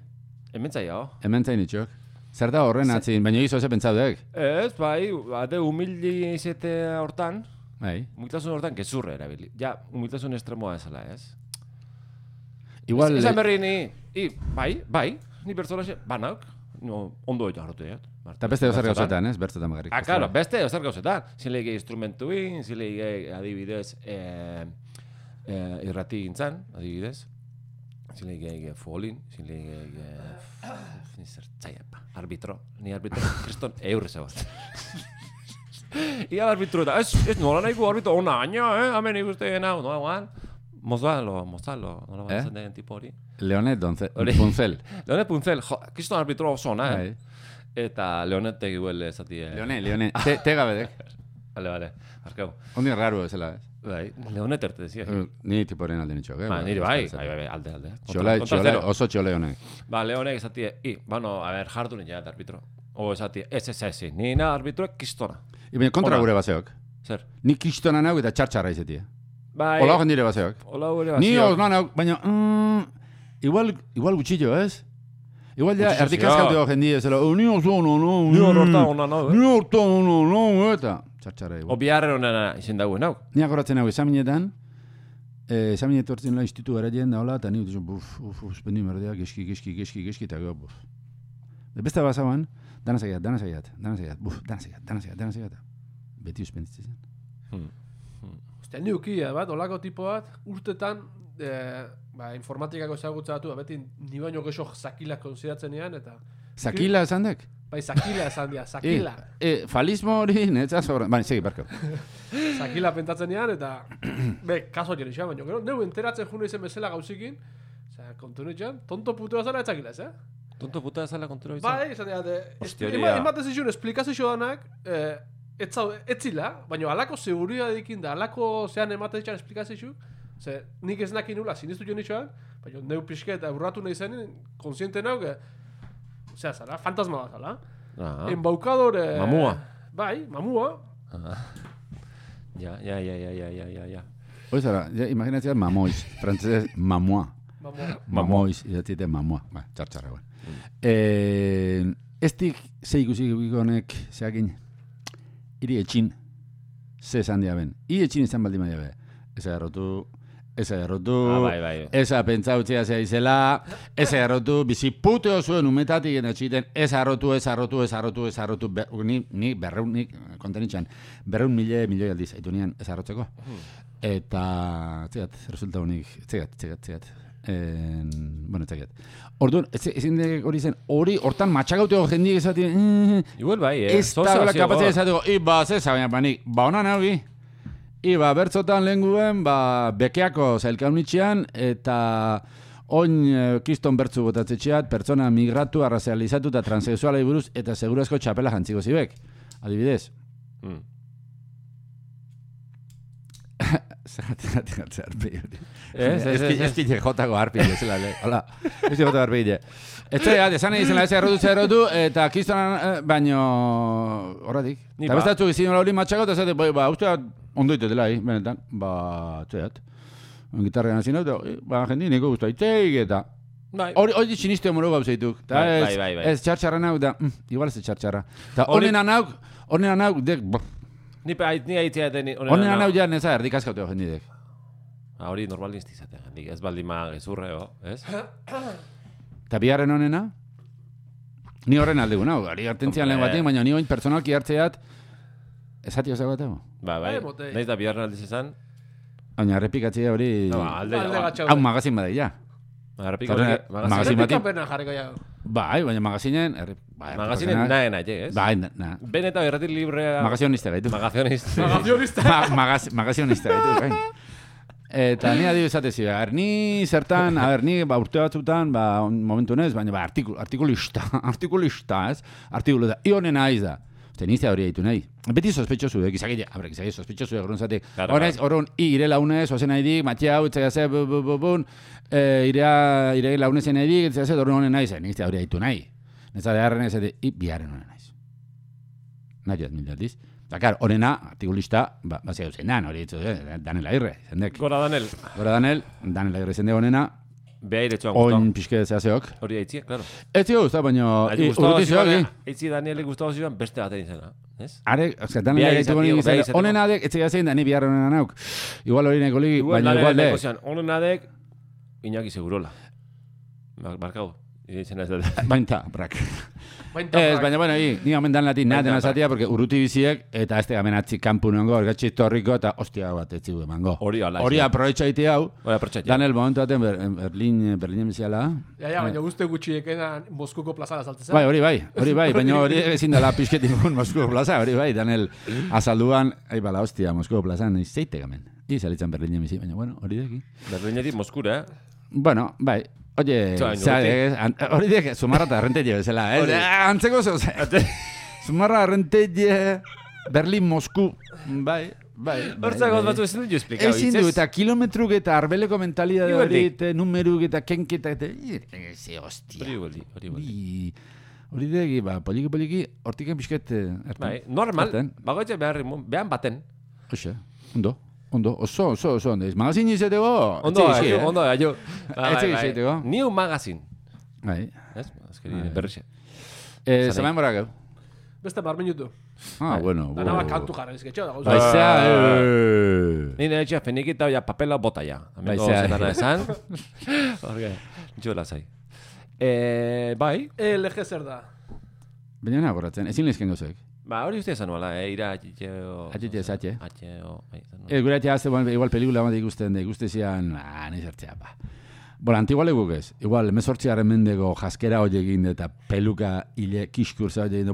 Hementzai, Hementzai nitxok. Zer da horren atzi? Baina egizu eze pentsaudek? Ez, bai, humildi izete hortan. Bai. Humiltasun hortan gezurre erabili. Ja, humiltasun estremoa ezala, ez? Igual... Ezan berri bai, ni bertzolaxe, banauk. Ondo eta hartu dut. Eta beste ezer gauzetan, ez? Bertzetan bagarrik. Claro, beste ezer gauzetan. Zinleike instrumentuin, zinleike adibidez irrati gintzan, adibidez. Zinleike folin, zinleike... arbitro. Ni arbitro, kriston eurreza bat. Ia arbitro eta, ez nola nahiko arbitro, ona aina, hamen ikusten hau, no, guan. Mozalo, nola bat zen den tipo hori. Leonet Puncel. Leonet Puncel, kriston arbitro oso ona, Eta Leonet tegi huele zati... Leonet. Te gabedek. Vale, arkau. Ondi raro ezela, ez? Bai, Leonet erte dezia. Ni tiporen alde nitxok, Niri bai, alde. Txole, oso txole honek. Leonek ezati, jardunen ja, arbitro. O ezati, ez, nina arbitroek kistona. Iben kontra gure baseok. Zer? Ni kistona nauk eta txartxarra izetie. Bai. Ola hogen dire baseok. Ni osna nauk, baina... Igual gutxillo, ez? Igual ja, erdikazkaldeo jendie, zela, ni oso ono, ni horta ona, ni horta ono, eta... Txartxarra igual. O biharren onena izin dagoen, hau? Ni akoratzen hau examinetan, Esamin etortzen la institutu garaien da hola, eta ni suspendi merdea, geski, eta gero, beste bazaban, dana zaiat. Beti suspenditzen zen. Ostia, ni ukia bat, olako tipo bat, urtetan, informatikako ezagutza batu, beti ni baino gexo zakila konsideratzen ean, eta... Zakila esan dek? Bai, zakila esan dia, zakila. Falismo hori, netzaz horren, bani, segi, barko. Zakila pentatzen ean, eta... kaso jene xean, baina gero, neu enteratzen june izen bezala gauzikin, kontunu etxean, tonto putua zala etzakila, ez, Tonto putua zala kontunu etxean? Bai, esan dira, ematen zizun, esplikazio danak, etzila, baina alako seguridad dikin da, alako zean ematen etxean esplikazio, ze nik ez nakin nula, sinistu jo nitxoan, baina neu pixke eta urratu nahi zen, konsiente nau, zera zara, fantasma bat zala. Embaucador... Mamua. Bai, mamua. Ja. Hoi zara, imaginatzea mamoiz, frantzesez mamua. Mamoiz, idatzite mamua. Ba, txartxarra, guen. Estik ze ikusik honek zeakin, iri etxin, ze esan diaben. Iri etxin izan baldin maia be. Eza errotu, eza pentsautzea zea izela, eza errotu, bizi puteo zuen umetatik eta txiten, eza errotu, ni berreun, nik kontenitxan, 200.000 aldiz, haitu nian eza errotzeko. Eta, txegat, resulta honik, txegat. Bueno, txegat. Orduan, ezin hori zen, hortan matxagauteko jendik ezatien, igual bai, ez da gola kapatzea ezateko, zeza, baina panik, honan haugi, bertzotan lehen guen, bekeako zailkaunitxean, eta oin kriston bertzu botatzetxeat, pertsona migratu, arrazializatu eta transexualei buruz, eta segurazko txapela jantziko zibek. Adibidez. Zeratik arpegi hori. Ez kile jotako arpegi, zela, hola. Ez kile jotako arpegi. Ez zera, esan egin zela ez errotu, eta kristonan, baino horretik. Eta bestatzu gizien hori matxako, eta zate, uste ondo dela, benetan, txeat. Gitarrean hazin hau, jendi niko guztu aiteik, eta... Hori txinizte homoro gauzeituk. Ez txartxarra nauk, da, igual ez txartxarra. Eta honenan nauk, dek... Ni haitzea deni... Honenan nauk ja neza erdikazkauteo jendidek. Hori normal niztizatea jendik, ez baldima gezurreo, ez? Eta biharren honena? Ni horren aldegu nauk, ari hartentzian lehen batean, baina ni oin personalki hartzeat... Ezati osago batego? Bai, nahiz da biharren aldiz esan? Baina errepikatzea hori... Hau magazin badai, ja. Magazin batik? Bai, baina magazinen... Magazinen nahen aile, ez? Bai, na. Beneta erratik librea... Magazionista gaitu. Magazionista gaitu, gain. Eta ni adibu esatezi, ni zertan, ni urte batzutan, momentu nez, baina artikulista, ez? Artikulu da, ionen aiz da. Tenizia hori haitu nahi. Beti sospetxosu, gizagile sospetxosu egon zatek. Horren, ire launez, ozen nahi dik, matia hau, itzagazea, ire launezen nahi dik, itzagazea, horren honen nahi zen. Nizia hori haitu nahi. Nezade harren ez, biharren honen nahi. Nahi jat mildialdiz. Eta, klar, horrena, artikulista, bazia duzen nan, hori ditzu, Daniel Agirre, zendek. Gora Daniel Agirre zende honena. Beha iretsuan guztau. Oin pixke zehazeok. Hori haitzi, klaro. Ez zio guztau, baina... Haitzi Danieli guztau ziren beste bat egin zena. Are, Daniel gaitu gonik izan. Honen adek, ez zein Dani biharren honen nauk. Igual hori neko ligi, baina igual de. Honen adek, Iñaki Segurola. Markau. Bainta, brak. Ez, baina, bueno, ni omen dan latin naten azatia, porque urruti biziek, eta ez tegamen atzik kampu nongo, ergatxik torriko, eta ostia bat etzigu emango. Hori aprovecha iti hau. Daniel, momentu baten Berlinen biziala. Ja, baina guzti gutxiekena Moskuko plazara saltezea. Bai, hori bai, baina hori ezin dela pixketik Moskuko plaza, hori bai, Daniel azalduan, bala, ostia, Moskuko plazan, zeite gamen. Izalitzen Berlinen bizi, baina, bueno, hori deki. Berlinetik Moskura, Bueno, bai. Oye, hori dek, Zumarra eta Rentetie bezala, antzeko zeu, Zumarra, Rentetie, Berlin, Mosku, bai. Hortzak batzu ezin dut jo esplikau, ezin du, eta kilometruk eta arbeleko mentalidad hori, numeruk eta kenketa, eta hostia. Hori dek, poliki, hortiken pixket, bai, normal, bagoetxe behan baten. Oxe, ondo, oso, ondo. Magazin izateko? Ondo, aio. Etxe izateko? New Magazine. Bai. Ez? Azkeri berrixe. Zamain borak, Beste 10 minutu. Bueno. Da naba kantu jarra ezketxo da gauza. Baizea, Nire etxea fenikita ya papela bota ya. Baizea. Zetana esan. Horge, jo lasai. Bai. LG zer da? baina nagoratzen, ezin lehizken gozek. Ba, hori uste esan nuela, ira atxeo... Atxeo. Gure atxea azte, igual pelikula bat ikusten da, ikustezian, nahi zertzea, ba. Bola, antiguale guk ez. Igual, emezortziaren mendego jaskera hori egin eta peluka hile kiskurza hori egin,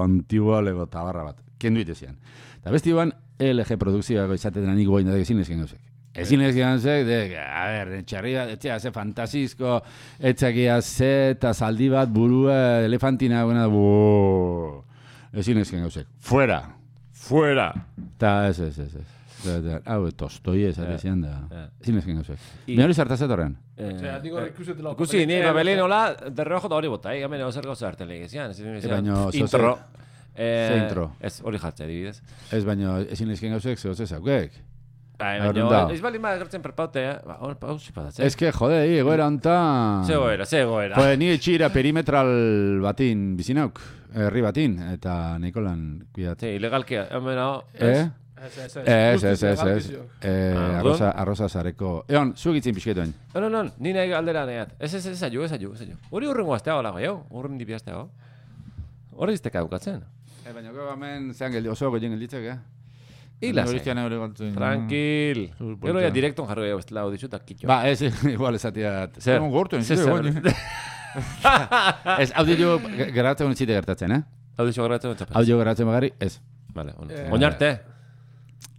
antigualego tabarra bat. Kendu itezian. Eta besti iguan, LG produkzioako izatetan aniko goin da ezin lehizken gozek. Ezin lehizken gozek, a ber, txarria, etxea ze fantasizko, etxakia ze eta zaldi bat burua elefantina guena, ezin lehizken gozek. Fuera! Ta ez. Hau, tostoi ez atezian da. Ezin lehizken gozek. Mira hori zartazet horren? Ikusi, ni babelin hola, derreojo da hori bota, gamen ego zer gauza harten lehizian. Intro. Ze intro? Ez, hori jartzea, dibidez. Ez baino, ezin lehizken gozek, ze gozek zaukek. Baina, ez bali ma gertzen perpaute, hor pausi padatzen. Ez que, jode, egoera onta... Ze egoera. Jode, ni etxira perimetral batin bizinauk, herri batin, eta Nikolan kuidat. Ze, ilegalkia, hemen hau... Ez. Arroza zareko. Egon, zuek itzin pixketuen. Non, ni nahi galdera nahiat. Ez aio. Hori urrengo aztea hola goi, urren dipi aztea hau. Hori izteka eukatzen. Baina, hemen zean oso goien gelditzek, Ila tranquil. Gero ya direkton jarro ego estela hau ditxuta kitxo. Ba, ez, igual esatiat. Zer? Ez, audio geratzen unitxite gertatzen, Audio geratzen unitxapaz. Audio geratzen bagarri, ez. Vale, oinarte.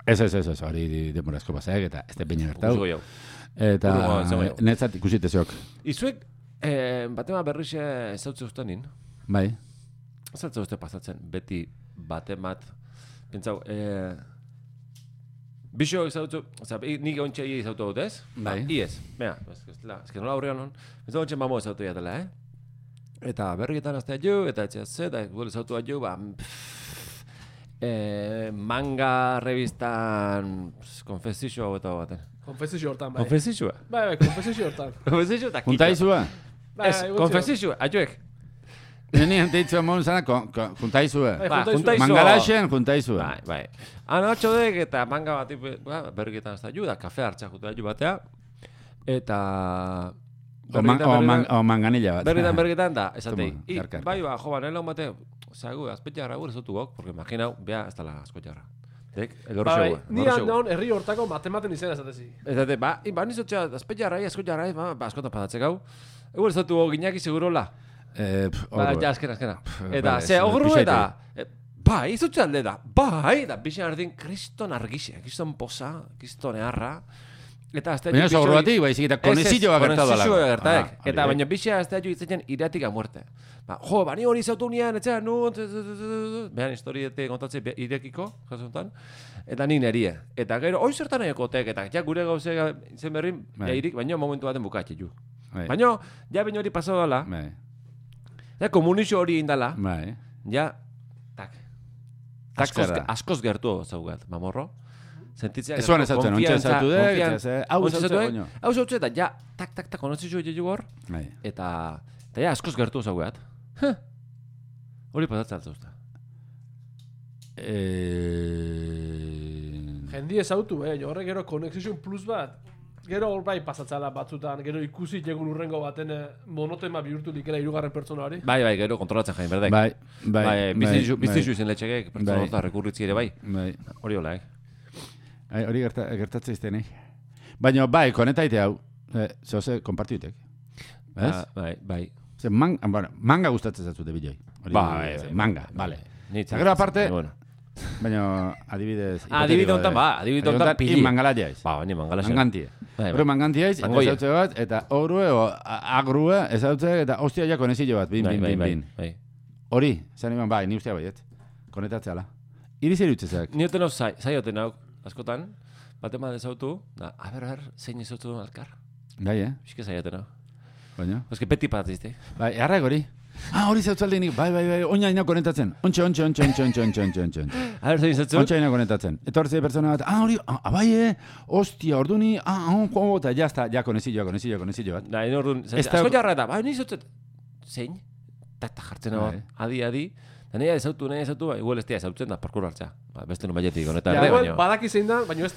Ez, hori demorazko pasek, eta ez te peina gertau. Usugo jau. Eta netzat ikusitezok. Izuek, batema berrixe ezautze usta nin. Bai. Ezautze uste pasatzen, beti batemat. Pentsau, bixo ezautzu, nik ontsa ia ezautu dut, ez? Bai. Iez, mea, ez que nola aurrean hon. Pentsau ontsa mamo ezautu jatela, Eta berriketan aztea jo, eta etxea ze, eta gure ezautu jo, manga revistan konfesizio hau eta baten. Konfesizio hortan, bai. Konfesizioa? Bai, konfesizio hortan. Konfesizio eta kitxo. Juntaizua? Ez, konfesizioa, aioek. Nini janteitzua mon zana, juntaizua. Juntaizua. Mangalaxen juntaizua. Bai. Ana atxodek eta manga bat berriketan aztea jo, da kafe hartza jutu jo batea. Eta... O manganilla bat. Berritan da, esatei. Bai, jo, nela un bate, zagu, azpetxarra gure zotu gok, porque imaginau, bea, ez tala azpetxarra. Elorro xegu. Ni handaun herri hortako matematen izena esatezi. Esate, nizotxea, azpetxarra, askotxarra, askotan padatzek hau. Egur ez zotu ginaki segurola. Ja, azkena. Eta, ze, ogru eta... Bai, izotxe alde da. Bai, da, bixen ardin, kriston argixea, kriston posa, kriston eharra. Baina ez ogru batik, baizik eta konezilloa gertatu dala. Konezilloa gertaek. Eta baina bixea aztea jo itzetzen iratik a muerte. Jo, bani hori zautu nian, etxea, behan historietek kontatze irekiko, jasuntan. Eta ni nerie. Eta gero, hoi zertan egotek, eta ja gure gauze zen berrin, irik, baina momentu baten bukatxe ju. Baina, ja baina hori pasau dala. Ja, komunizio hori indala. Ja, askoz gertu zaugat, mamorro. Sentitzea gertu, konfiantza. Hau zautu eta ja, tak, konozitzu egin hor. Eta ja, askoz gertu zaugat. Hori pasatzen altzausta. Jendi ez autu, horre gero Connection Plus bat. Gero hor bai pasatzala batzutan, gero ikusi jegun urrengo baten monotema bihurtu dikela 3. pertsona hori. Bai, gero kontrolatzen jain berdek. Bai. Biztizu izen letxekek, pertsona horta rekurritzi ere bai. Hori hola, Hori gertatzen izten, Baina bai, konetaite hau, zoze, kompartiutek. Bai. Manga gustatzen zatzute biloi. Bai. Manga, bale. Gero aparte, baina adibidez... Adibide honetan pili. Mangalaia ez. Ba, baina mangalaia. Mangantie. Hori mangantia ez, eta zautze bat, eta horue o agrue, ez zautze, eta hostia ja konezillo bat, bin. Hori, zan iman, bai, ni ustea baiet. Konetatzea la. Iri zer utzezak. Ni hoten hau zaioten hau, askotan, batema dezautu, a ber, zein ezautu alkar. Bai, Bizke zaioten hau. Baina? Eske peti patazizte. Bai, harrak hori. Hori zautzalde nik, bai, oina ina konetatzen. Ontxe. A ber, zein ezautu? Ontxe ina konetatzen. Eta hori zei pertsona bat, hori, bai, hostia, orduni, eta jazta, ja, konezillo bat. Da, orduan, asko jarra eta, bai, nizautzet, zein? Ta jartzen hau, adi, Nahi ezautu, igual ez tia ezautzen da parkour hartza. Beste nun baietik, honetan. Igual badaki zein da, baina ez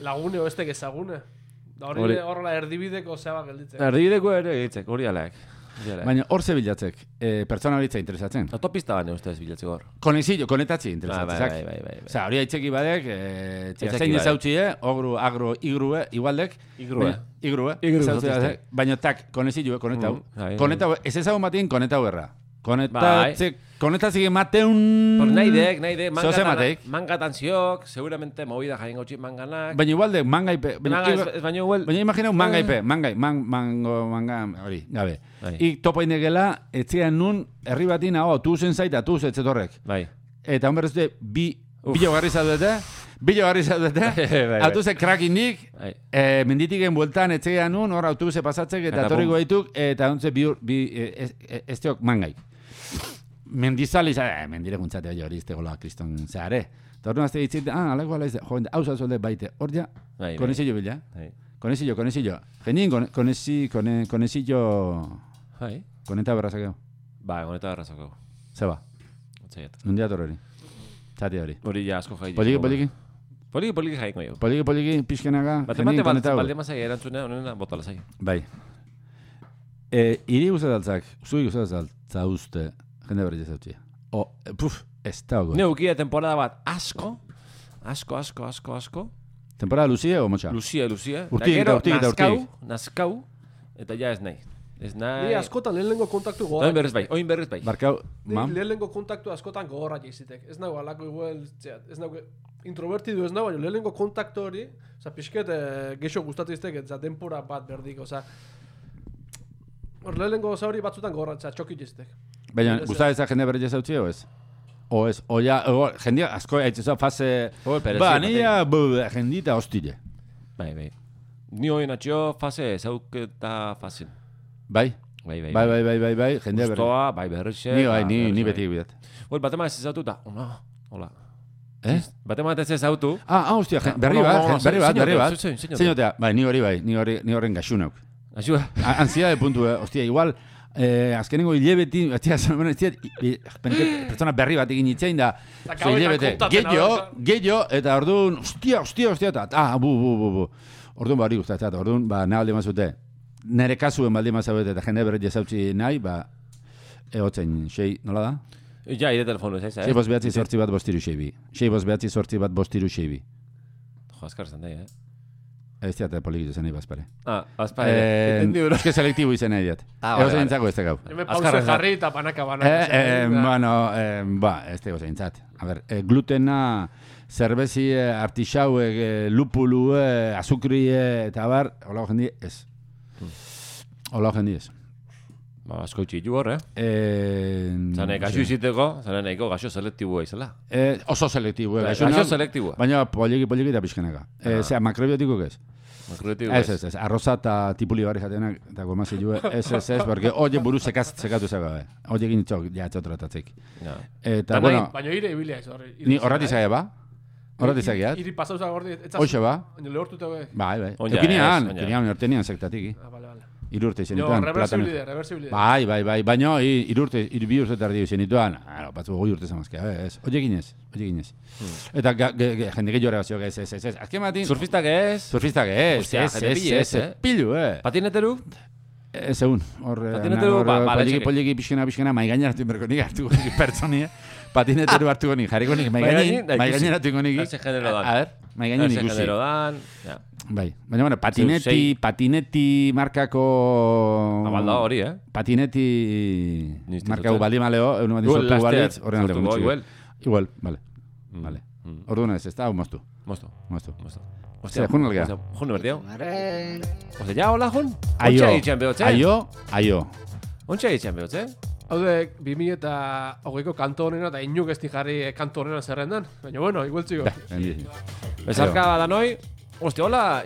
lagune o ez ezagune. Da hori horrela erdibideko zeba gelditzek. Erdibideko ere gelditzek, hori alaek. Baina hor ze bilatzek, pertsona horitza interesatzen. Autopista bane ustez bilatzek hor. Konetatzi interesatzen. Bai. Osa, hori aitzeki badek, zein ezautxie, ogru, agro, igrue, igualdek. Igrue. Baina tak, konezilue, konetau. Konetau, ez ezagun batien konetau erra. Konetazik emateun... Nahi dek, mangatan ziok, seguramente movida jaien gautxik manganak. Baina igualdek, mangaipe. Baina igual... Baina imagineu mangaipe, manga, hori, gabe. Ik topo inegela, etzean nun, herri batin, tuzen zaita, tuz etzetorrek. Bai. Eta hon berrezte, bilo garri zaudete, autobuse krakinik, menditiken bueltan etzean nun, hor autobuse pasatzek, eta torriko gaituk, eta ontze ez teok mangai. Mendizali, mendire guntzate hori izte gola kriston zehare. Eta hori nazte ditzit, alako ala izte, joen, hau zazolde baite, hor ja, konezillo bila. Konezillo. Genien konezillo... Koneta berrazakeo. Ba, koneta berrazakeo. Zeba. Otzaiat. Nundia torreri. Txati hori. Hori ja asko jai. Poliki. Poliki jaiko jo. Poliki, pixkenaga. Batemate baldemazai erantzunea, honena botala zai. Bai. Iri guztataltzak, zui guztataltza uste, jende berri jazautxia. Ez da ogo. Neukia temporada bat asko. Temporada Lucie o Motxa? Lucie. Urtik. Naskau, eta ja ez nahi. Ni askotan lehenengo kontaktu gogorra. Oin berriz bai. Barkau, lehenengo kontaktu askotan gogorra jaizitek. Ez nago alako igual, ez nago introvertidu ez nago, baina lehenengo kontaktu hori, oza, pixket geixo gustatiztek, eta denpora bat berdik, oza, hor lehenengo hori batzutan gogorra, txoki jaizitek. Baina, gustatzea jende berri jazautxia o ez? Jendia asko haitzezo fase... nia jendita hostile. Bai. Ni hori natxio fase zauketa fasen. Bai, jendia berri. Gustoa, bai berrixe. Ni beti bidat. Batema ez ezautu eta, hola. Batema ez ezautu. Hostia, berri bat. Zeinotea, bai, ni horren gaxunauk. Gaxua? Ansiedade puntu, hostia, igual... azkenengo hilebeti, pertsona berri bat egin itzein da gehiago, eta orduan hostia, eta bu orduan bari gustatzen, orduan nahi aldi mazute nire kasuen baldi mazabete eta jende berri jazautzi nahi, egotzen, nola da? Ja, ide telefonu ez, 6 bost behatzi sortzi bat bostiru xeibi 6 bost behatzi sortzi bat bostiru xeibi jo, azkar zen daia, Ez diat polikitu zen nahi bazpare. Bazpare. Entendi bro. Eske selektibo izan nahi diat. Ego zeintzako ez tegau. Hemen pause jarri eta banaka. Ez tego zeintzat. A ver, glutena, zerbezi, artixauek, lupulu, azukri, eta bar, hola jendi ez. Asko txitu hor, Zane, gaxo iziteko, zane nahiko gaxo selektibua izela. Oso selektibua. Gaxo selektibua. Baina poliki eta pixkenaka. Zea, makrobiotiko ez? Makrobiotiko ez. Ez. Arroza eta tipuli barri jatenak, eta gomazi jue, ez, porque oie buruz sekatu zagabe. Oie egin txok, tratatzek. Baina ire ibilia ez horri. Ni horrati zage ba? Horrati zageat? Iri pasauza gordi. Hoxe ba? Baina lehortuta be. Bai. Eukinian, hortenian sektatiki. Vale. Irurte zenituan. Reversibilide. Bai. Baina, bi urte tardi zenituan. Batzu, goi urte zamazkea. Oie ginez. Eta jende gehiago regazio, ez. Azken batin... Surfistak ez. Ez. Pilu, Patineteru? Ez egun. Patineteru, poliki pixkena, maigaina hartu berko nik hartu pertsoni, patineteru hartuko nik, jarriko nik, maigaina hartuko nik. Ese genero dan. A ver, maigaina nik usi. Bai, baina, patineti markako... Abalda hori, Patineti markako baldi maleo, egun bat izortu balitz, horren alde gutxi. Igual, vale. Orduan ez da, hau moztu. Hostia, jun algea. Jun berdiau. Ose, ja, hola, jun? Aio. Ontsa egitxean behotze? Haude, 2008ko kanto honena eta inuk ez jarri kanto honena zerrendan. Baina, bueno, igual txiko. Bezarka badanoi. Hostia, hola,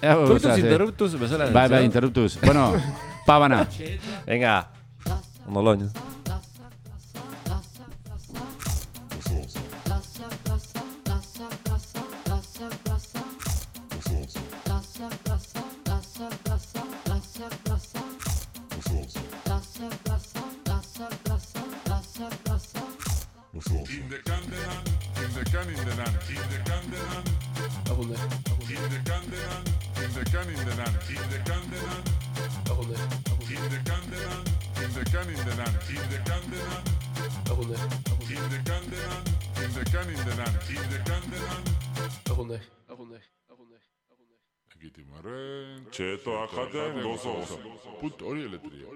Coitus interruptus, bezala. Bai, interruptus. Bueno, pabana. Venga. Ondo loño. can in the land, in the candeland. Agunde. In the candeland, in the can in the land, in the candeland. Agunde. In the candeland, in the can in the land, in the candeland. Agunde. In the candeland, in the can in the land, in the candeland. Agunde. Egitimaren, txeto akaten gozo. Punto hori eletria.